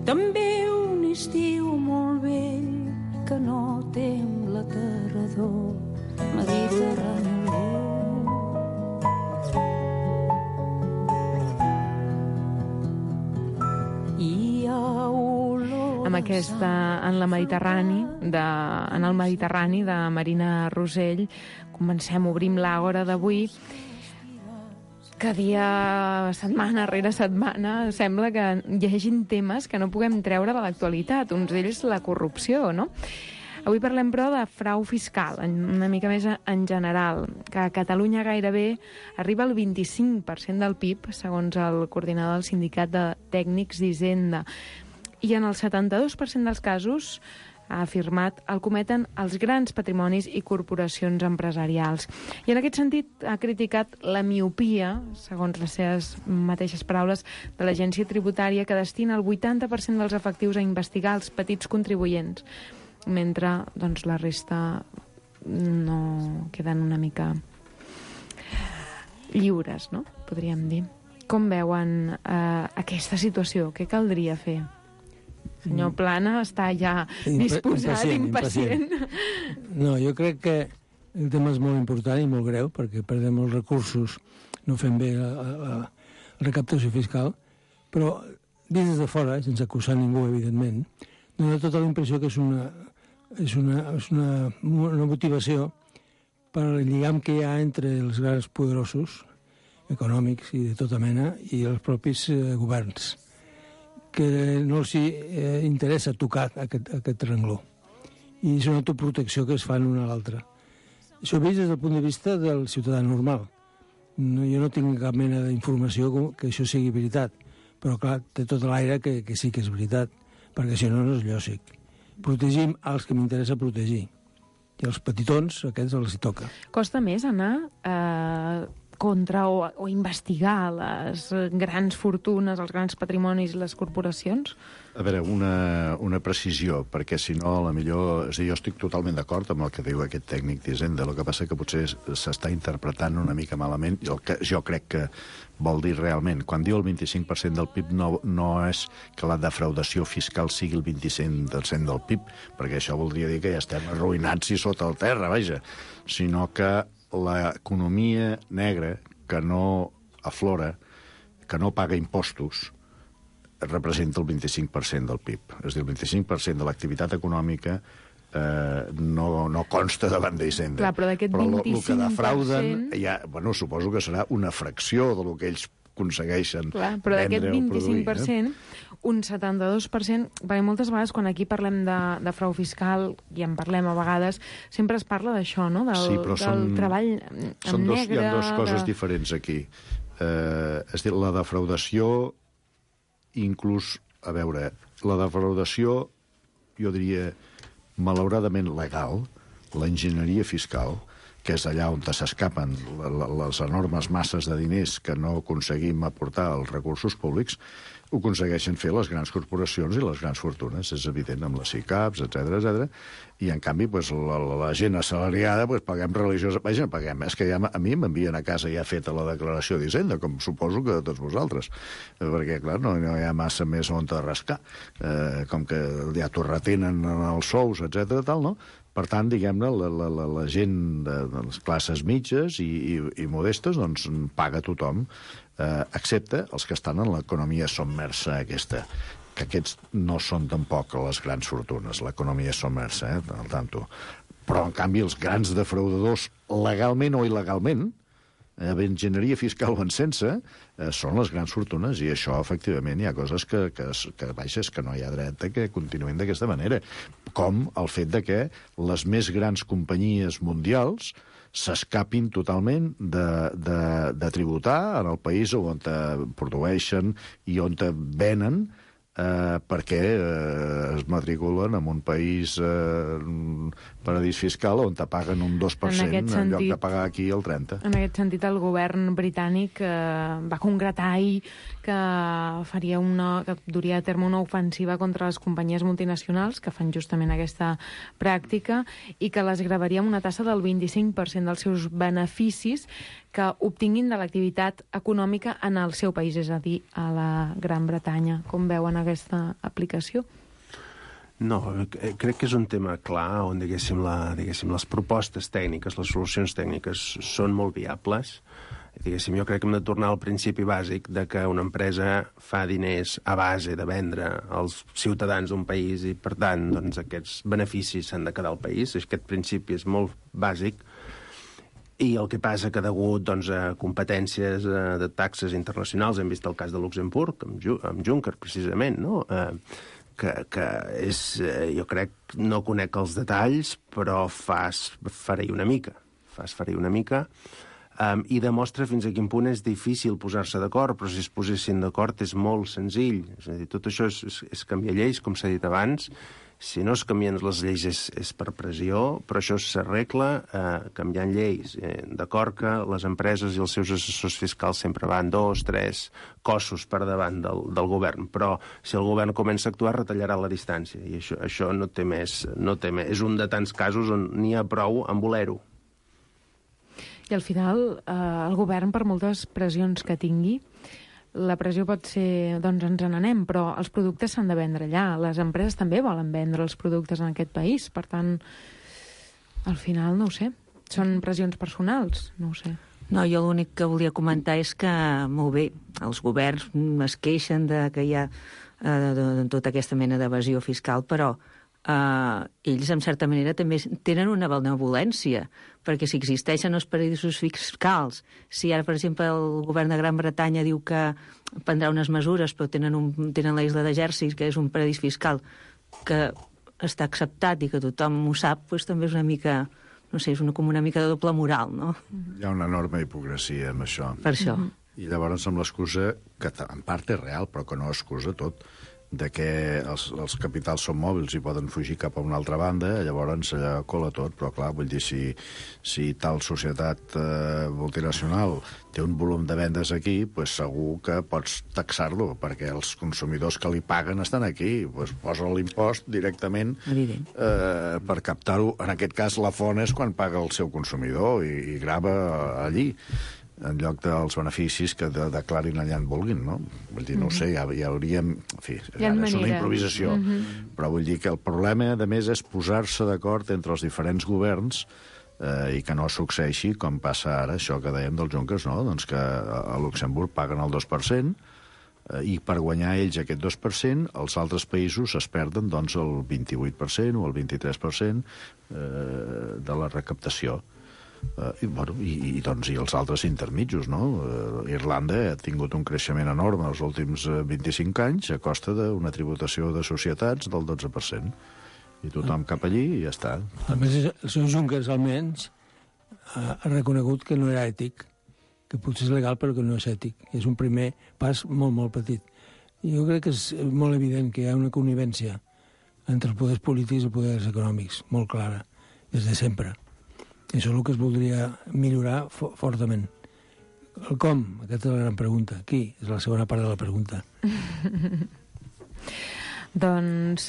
També un estiu molt vell que no tem la tardor mediterrani. Amb aquesta en la Mediterrani, de, en el Mediterrani de Marina Rosell, comencem, obrim l'Àgora d'avui. Que dia, setmana rere setmana, sembla que hi hagin temes que no puguem treure de l'actualitat. Uns d'ells la corrupció, no? Avui parlem, però, de frau fiscal, una mica més en general, que a Catalunya gairebé arriba al vint-i-cinc per cent del P I B, segons el coordinador del Sindicat de Tècnics d'Hisenda. I en el setanta-dos per cent dels casos, ha afirmat, el cometen els grans patrimonis i corporacions empresarials. I en aquest sentit ha criticat la miopia, segons les seves mateixes paraules, de l'agència tributària, que destina el vuitanta per cent dels efectius a investigar els petits contribuents, mentre doncs, la resta no queden una mica lliures, no? Podríem dir. Com veuen eh, aquesta situació? Què caldria fer? Senyor Plana està ja disposat, impacient, impacient. impacient. No, jo crec que el tema és molt important i molt greu, perquè perdem molts recursos, no fem bé la, la, la recaptació fiscal, però vist des de fora, sense acusar ningú, evidentment, dona tota la impressió que és una, és una, és una, una motivació per al lligam que hi ha entre els grans poderosos econòmics i de tota mena i els propis eh, governs, que no els eh, interessa tocar aquest, aquest rengló. I és una autoprotecció que es fan una a l'altra. Això vist des del punt de vista del ciutadà normal. No, jo no tinc cap mena d'informació que això sigui veritat, però clar, té tot l'aire que, que sí que és veritat, perquè si no, no és lògic. Protegim els que m'interessa protegir. I els petitons, aquests els hi toca. Costa més anar eh, contra o, o investigar les grans fortunes, els grans patrimonis i les corporacions? A veure, una, una precisió, perquè si no, a la millor... És a dir, jo estic totalment d'acord amb el que diu aquest tècnic d'Hisenda, el que passa que potser s'està interpretant una mica malament, i el que jo crec que vol dir realment. Quan diu el vint-i-cinc per cent del P I B no, no és que la defraudació fiscal sigui el vint-i-cinc per cent del P I B, perquè això voldria dir que ja estem arruïnats i sota el terra, vaja, sinó que l'economia negra que no aflora, que no paga impostos, representa el vint-i-cinc per cent del P I B. És a dir, el vint-i-cinc per cent de l'activitat econòmica eh, no, no consta davant d'Hisenda. Clar, però d'aquest vint-i-cinc per cent... Però el que defrauden, ja, bueno, suposo que serà una fracció del que ells aconsegueixen Clar, però d'aquest vint-i-cinc per cent, eh? un setanta-dos per cent, perquè moltes vegades quan aquí parlem de, de frau fiscal, i en parlem a vegades, sempre es parla d'això, no? Del, sí, però del són, treball en són dos, negre... Hi ha dues coses de... diferents aquí. Eh, és a dir, la defraudació, inclús, a veure, la defraudació, jo diria, malauradament legal, l'enginyeria fiscal, que és allà on s'escapen les enormes masses de diners que no aconseguim aportar als recursos públics, ho aconsegueixen fer les grans corporacions i les grans fortunes, és evident, amb les SICAPs, etcètera, etcètera. I, en canvi, pues, la, la gent assalariada, pues, paguem religiosa... Vaja, paguem. És que ja, a mi m'envien a casa ja feta la declaració d'Hisenda, com suposo que tots vosaltres. Perquè, clar, no, no hi ha massa més on te rascar. Eh, com que ja t'ho retenen en els sous, etcètera, tal, no? Per tant, diguem-ne, la, la, la, la gent de, de les classes mitges i, i, i modestes, doncs, paga tothom, eh, excepte els que estan en l'economia submersa aquesta, que aquests no són tampoc les grans fortunes, l'economia submersa, eh, al tanto. Però, en canvi, els grans defraudadors, legalment o il·legalment, eh, enginyeria fiscal o en sense, eh, són les grans fortunes, i això, efectivament, hi ha coses que, que, que baixes, que no hi ha dret a que continuïn d'aquesta manera, com el fet de que les més grans companyies mundials s'escapin totalment de, de, de tributar en el país on produeixen i on venen, eh, perquè eh, es matriculen en un país eh, paradís fiscal on te paguen un dos per cent en, en lloc de pagar aquí el trenta per cent. En aquest sentit, el govern britànic eh, va concretar ahir que faria una, que duria a terme una ofensiva contra les companyies multinacionals que fan justament aquesta pràctica i que les gravaria amb una tassa del vint-i-cinc per cent dels seus beneficis que obtinguin de l'activitat econòmica en el seu país, és a dir, a la Gran Bretanya. Com veuen aquesta aplicació? No, crec que és un tema clar on, diguéssim, la, diguéssim, les propostes tècniques, les solucions tècniques són molt viables. Diguéssim, jo crec que hem de tornar al principi bàsic de que una empresa fa diners a base de vendre als ciutadans d'un país i, per tant, doncs, aquests beneficis s'han de quedar al país. Aquest principi és molt bàsic. I el que passa que degut, doncs, a competències eh, de taxes internacionals, hem vist el cas de Luxemburg, amb, Ju amb Juncker, precisament, no?, eh, que, que és, eh, jo crec, no conec els detalls, però fas farei una mica, fas farei una mica, um, i demostra fins a quin punt és difícil posar-se d'acord, però si es posessin d'acord és molt senzill. És a dir, tot això és, és, és canviar lleis, com s'ha dit abans. Si no es canvien les lleis és, és per pressió, però això s'arregla eh, canviant lleis. Eh, D'acord que les empreses i els seus assessors fiscals sempre van dos, tres cossos per davant del, del govern, però si el govern comença a actuar retallarà la distància, i això, això no té més, no té més. És un de tants casos on n'hi ha prou en voler-ho. I al final, eh, el govern, per moltes pressions que tingui, la pressió pot ser, doncs ens n'anem, però els productes s'han de vendre allà. Les empreses també volen vendre els productes en aquest país. Per tant, al final, no ho sé, són pressions personals, no ho sé. No, jo l'únic que volia comentar és que, molt bé, els governs es queixen de que hi ha eh, de, de, tota aquesta mena d'evasió fiscal, però Uh, ells, en certa manera, també tenen una benevolència, perquè si existeixen els paradisos fiscals, si ara, per exemple, el govern de Gran Bretanya diu que prendrà unes mesures, però tenen, un, tenen la isla de Jersey, que és un paradís fiscal que està acceptat i que tothom ho sap, doncs també és una mica, no sé, és una, com una mica de doble moral, no? Hi ha una enorme hipocresia amb això. Per això. I llavors amb l'excusa, que en part és real, però que no excusa tot, de que els, els capitals són mòbils i poden fugir cap a una altra banda, llavors allà cola tot, però clar, vull dir, si, si tal societat eh, multinacional té un volum de vendes aquí, pues segur que pots taxar-lo, perquè els consumidors que li paguen estan aquí, pues posa l'impost directament eh, per captar-ho. En aquest cas, la font és quan paga el seu consumidor i, i grava allí, en lloc dels beneficis que de, declarin allà on vulguin, no? Vull dir, no ho sé, ja, ja hauríem... En fi, ara és una improvisació, mm-hmm. però vull dir que el problema, a més, és posar-se d'acord entre els diferents governs eh, i que no succeeixi com passa ara, això que dèiem dels Junkers, no? Doncs que a Luxemburg paguen el dos per cent eh, i per guanyar ells aquest dos per cent, els altres països es perden doncs, el vint-i-vuit per cent o el vint-i-tres per cent eh, de la recaptació. Uh, i, bueno, i, i, doncs, i els altres intermitjos, no? Uh, Irlanda ha tingut un creixement enorme els últims uh, vint-i-cinc anys a costa d'una tributació de societats del dotze per cent. I tothom cap allí i ja està. A més, el senyor Junckers, almenys, ha reconegut que no era ètic, que potser és legal però que no és ètic. És un primer pas molt, molt petit. I jo crec que és molt evident que hi ha una connivència entre els poders polítics i els poders econòmics, molt clara, des de sempre. Això és el que es voldria millorar fo fortament. El com? Aquesta és la gran pregunta. Qui? És la segona part de la pregunta. Doncs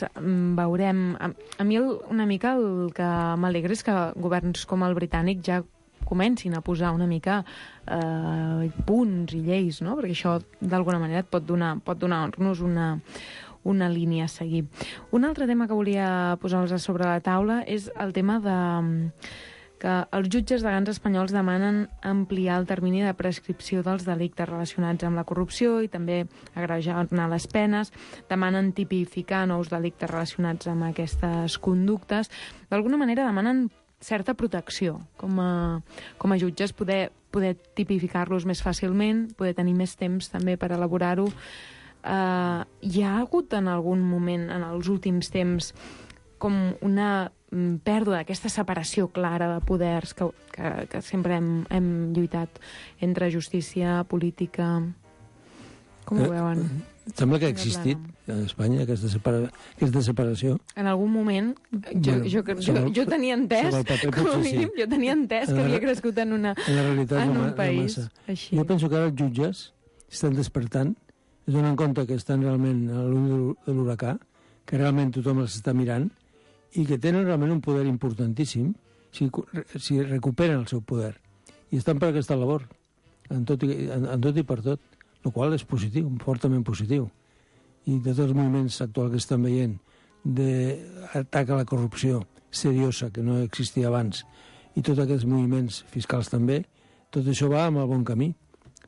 veurem. A, a mi el, una mica el que m'alegra és que governs com el britànic ja comencin a posar una mica eh, punts i lleis, no? Perquè això d'alguna manera et pot donar, pot donar-nos una, una línia a seguir. Un altre tema que volia posar-los sobre la taula és el tema de... que els jutges degans espanyols demanen ampliar el termini de prescripció dels delictes relacionats amb la corrupció i també agrejar les penes, demanen tipificar nous delictes relacionats amb aquestes conductes. D'alguna manera demanen certa protecció com a, com a jutges, poder, poder tipificar-los més fàcilment, poder tenir més temps també per elaborar-ho. Uh, hi ha hagut en algun moment, en els últims temps, com una pèrdua d'aquesta separació clara de poders que, que, que sempre hem, hem lluitat entre justícia, política... Com ho veuen? Eh, sembla que ha existit a Espanya aquesta, separa aquesta separació. En algun moment, jo, bueno, jo, jo, jo, jo tenia entès, com a mínim, sí. jo tenia entès que havia crescut en, una, en, la realitat en un no, país no així. Jo penso que ara els jutges estan despertant, es donen compte que estan realment a l'ull de l'huracà, que realment tothom els està mirant, i que tenen realment un poder importantíssim si, si recuperen el seu poder. I estan per aquesta labor, en tot i, en, en tot i per tot, el qual és positiu, fortament positiu. I de tots els moviments actuals que estan veient d'atac a la corrupció seriosa, que no existia abans, i tots aquests moviments fiscals també, tot això va amb el bon camí,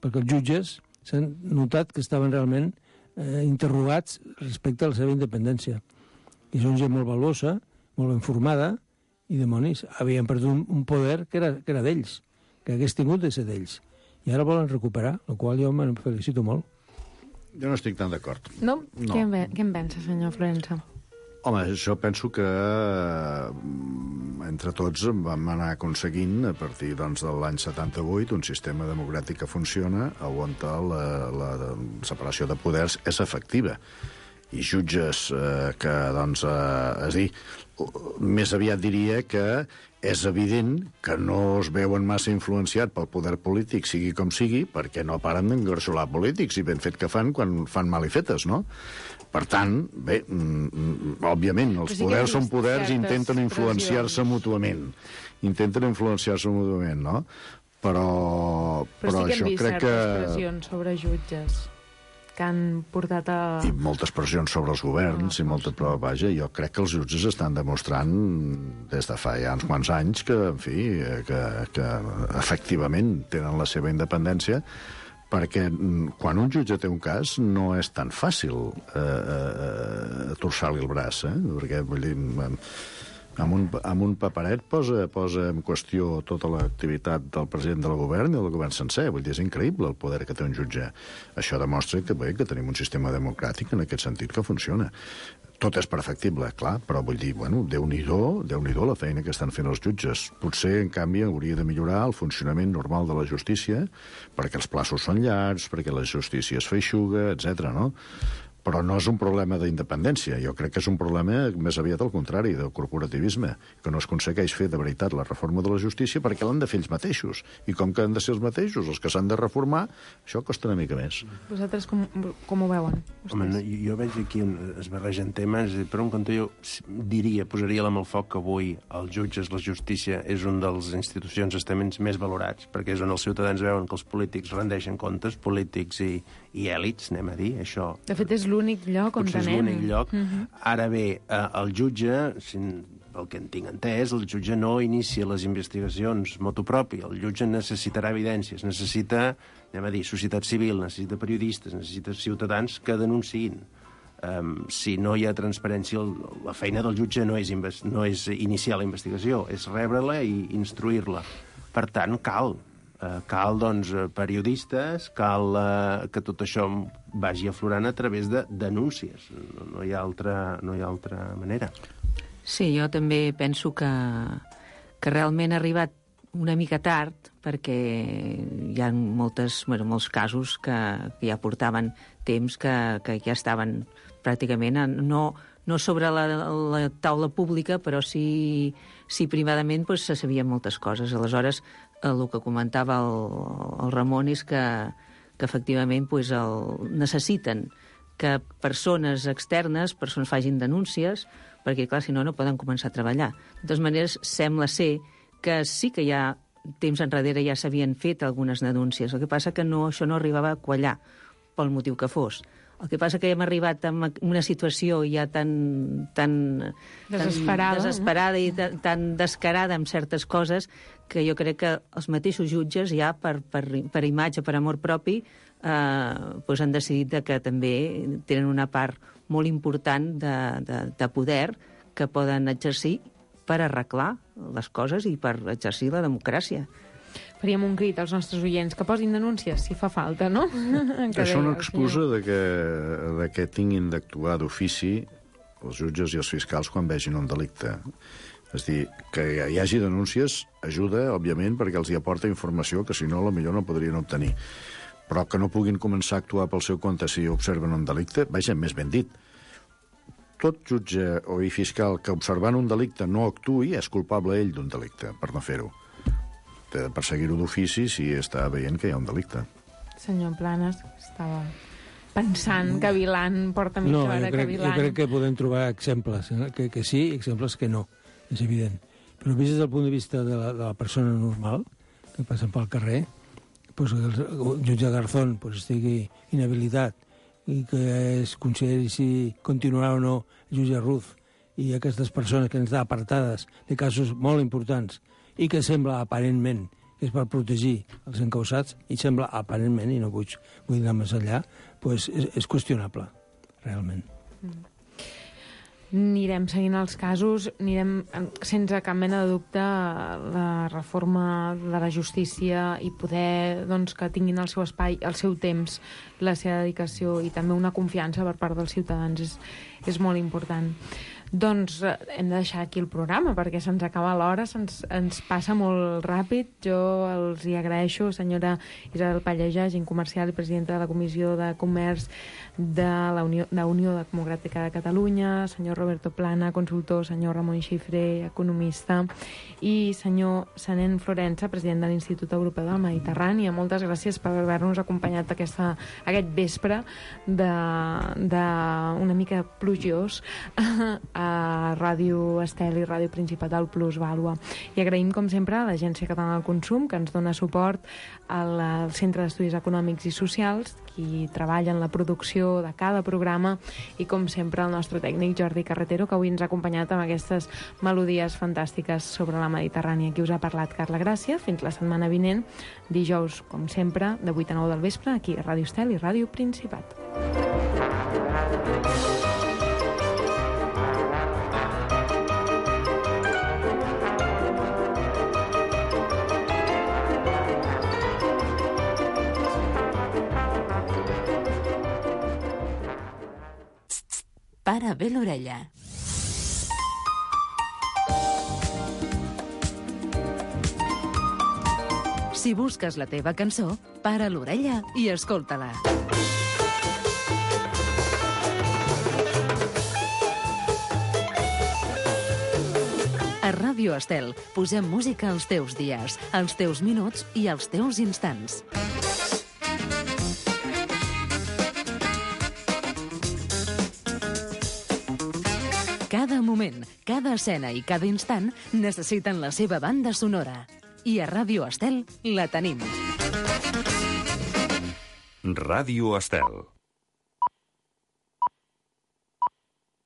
perquè els jutges s'han notat que estaven realment eh, interrogats respecte a la seva independència. I són gent molt valuosa, molt ben formada, i dimonis, havien perdut un, un poder que era, que era d'ells, que hagués tingut de ser d'ells. I ara volen recuperar, el qual jo me'n felicito molt. Jo no estic tan d'acord. No? no. Què, en, què en pensa, senyor Florença? Home, jo penso que entre tots vam anar aconseguint, a partir doncs, de l'any setanta-vuit, un sistema democràtic que funciona, on la, la separació de poders és efectiva. I jutges eh, que, doncs, eh, és a dir, més aviat diria que és evident que no es veuen massa influenciat pel poder polític, sigui com sigui, perquè no paren d'engarxolar polítics, i ben fet que fan quan fan malifetes, no? Per tant, bé, mm, òbviament, els sí poders són poders i intenten influenciar-se mútuament. Intenten influenciar-se mútuament, no? Però, però, però sí que hem vist certes que... pressions sobre jutges que han portat a... I moltes pressions sobre els governs, oh, i molta prova, vaja, jo crec que els jutges estan demostrant des de fa ja uns quants anys que, en fi, que, que efectivament tenen la seva independència, perquè quan un jutge té un cas no és tan fàcil eh, eh, torçar-li el braç, eh? Perquè, vull dir, amb un, amb un paperet posa, posa en qüestió tota l'activitat del president del govern i del govern sencer. Vull dir, és increïble el poder que té un jutge. Això demostra que, bé, que tenim un sistema democràtic en aquest sentit que funciona. Tot és perfectible, clar, però vull dir, bueno, Déu-n'hi-do, Déu-n'hi-do la feina que estan fent els jutges. Potser, en canvi, hauria de millorar el funcionament normal de la justícia, perquè els plaços són llargs, perquè la justícia es feixuga, etcètera, no? Però no és un problema d'independència. Jo crec que és un problema més aviat al contrari, del corporativisme, que no es aconsegueix fer de veritat la reforma de la justícia perquè l'han de fer ells mateixos. I com que han de ser els mateixos els que s'han de reformar, això costa una mica més. Vosaltres com, com ho veuen? Home, no, jo veig aquí un, es barregen temes, per un cantó jo diria, posaria la mà al foc que avui els jutges, la justícia, és un dels institucions estaments més valorats, perquè és on els ciutadans veuen que els polítics rendeixen comptes, polítics i, i èlits, anem a dir, això... De fet, és l'únic lloc on potser tenem. és l'únic lloc. Uh-huh. Ara bé, eh, el jutge, si, pel que en tinc entès, el jutge no inicia les investigacions motu propi. El jutge necessitarà evidències, necessita, anem a dir, societat civil, necessita periodistes, necessita ciutadans que denunciïn. Um, si no hi ha transparència, la feina del jutge no és, no és iniciar la investigació, és rebre-la i instruir-la. Per tant, cal Uh, cal, doncs, periodistes, cal uh, que tot això vagi aflorant a través de denúncies. No, no, hi ha altra, no hi ha altra manera. Sí, jo també penso que, que realment ha arribat una mica tard, perquè hi ha moltes, bueno, molts casos que, que ja portaven temps, que, que ja estaven pràcticament, no, no sobre la, la taula pública, però sí, sí privadament pues, se sabien moltes coses. Aleshores, el que comentava el, el Ramon és que, que efectivament pues, el, necessiten que persones externes, persones facin denúncies, perquè, clar, si no, no poden començar a treballar. De totes maneres, sembla ser que sí que ja temps enrere ja s'havien fet algunes denúncies. El que passa que no, això no arribava a quallar, pel motiu que fos. El que passa que hem arribat a una situació ja tan, tan, desesperada, tan desesperada i tan, tan descarada amb certes coses que jo crec que els mateixos jutges ja per, per, per imatge, per amor propi, eh, pues han decidit que també tenen una part molt important de, de, de poder que poden exercir per arreglar les coses i per exercir la democràcia. Faríem un crit als nostres oients que posin denúncies, si fa falta, no? Això no excusa de que, de que tinguin d'actuar d'ofici els jutges i els fiscals quan vegin un delicte. És dir, que hi hagi denúncies ajuda, òbviament, perquè els hi aporta informació que, si no, potser no podrien obtenir. Però que no puguin començar a actuar pel seu compte si observen un delicte, vaja, més ben dit. Tot jutge o fiscal que, observant un delicte, no actuï, és culpable ell d'un delicte, per no fer-ho. De perseguir-ho d'ofici si està veient que hi ha un delicte. Senyor Planes, estava pensant, cavilant, porta mitja no, hora jo crec, cavilant. Jo crec que podem trobar exemples, eh? que, que sí, exemples que no, és evident. Però vist des del punt de vista de la, de la persona normal, que passa pel carrer, pues, el, el jutge Garzón pues, estigui inhabilitat i que es consideri si continuarà o no el jutge Ruz i aquestes persones que han estat apartades de casos molt importants i que sembla aparentment que és per protegir els encausats, i sembla aparentment, i no vull, vull anar més enllà, pues és, és qüestionable, realment. Mm. Anirem seguint els casos, anirem sense cap mena de dubte la reforma de la justícia i poder doncs, que tinguin el seu espai, el seu temps, la seva dedicació i també una confiança per part dels ciutadans és, és molt important. Doncs hem de deixar aquí el programa perquè se'ns acaba l'hora, se'ns ens passa molt ràpid. Jo els hi agraeixo, senyora Isabel Pallejà, agent comercial i presidenta de la Comissió de Comerç de la Unió, de Unió Democràtica de Catalunya, senyor Roberto Plana, consultor, senyor Ramon Xifré, economista, i senyor Sanent Florença, president de l'Institut Europeu del Mediterrani. Moltes gràcies per haver-nos acompanyat aquesta, aquest vespre de, de una mica plujós a Ràdio Estel i Ràdio Principat del Plus Vàlua. I agraïm, com sempre, a l'Agència Catalana del Consum, que ens dona suport al, al Centre d'Estudis Econòmics i Socials, qui treballa en la producció de cada programa, i, com sempre, el nostre tècnic Jordi Carretero, que avui ens ha acompanyat amb aquestes melodies fantàstiques sobre la Mediterrània. Qui us ha parlat, Carla Gràcia. Fins la setmana vinent, dijous, com sempre, de vuit a nou del vespre, aquí a Ràdio Estel i Ràdio Principat. Para bé l'orella. Si busques la teva cançó, para l'orella i escolta-la. A Ràdio Estel posem música als teus dies, als teus minuts i als teus instants. Cada moment, cada escena i cada instant necessiten la seva banda sonora. I a Ràdio Estel la tenim. Ràdio Estel.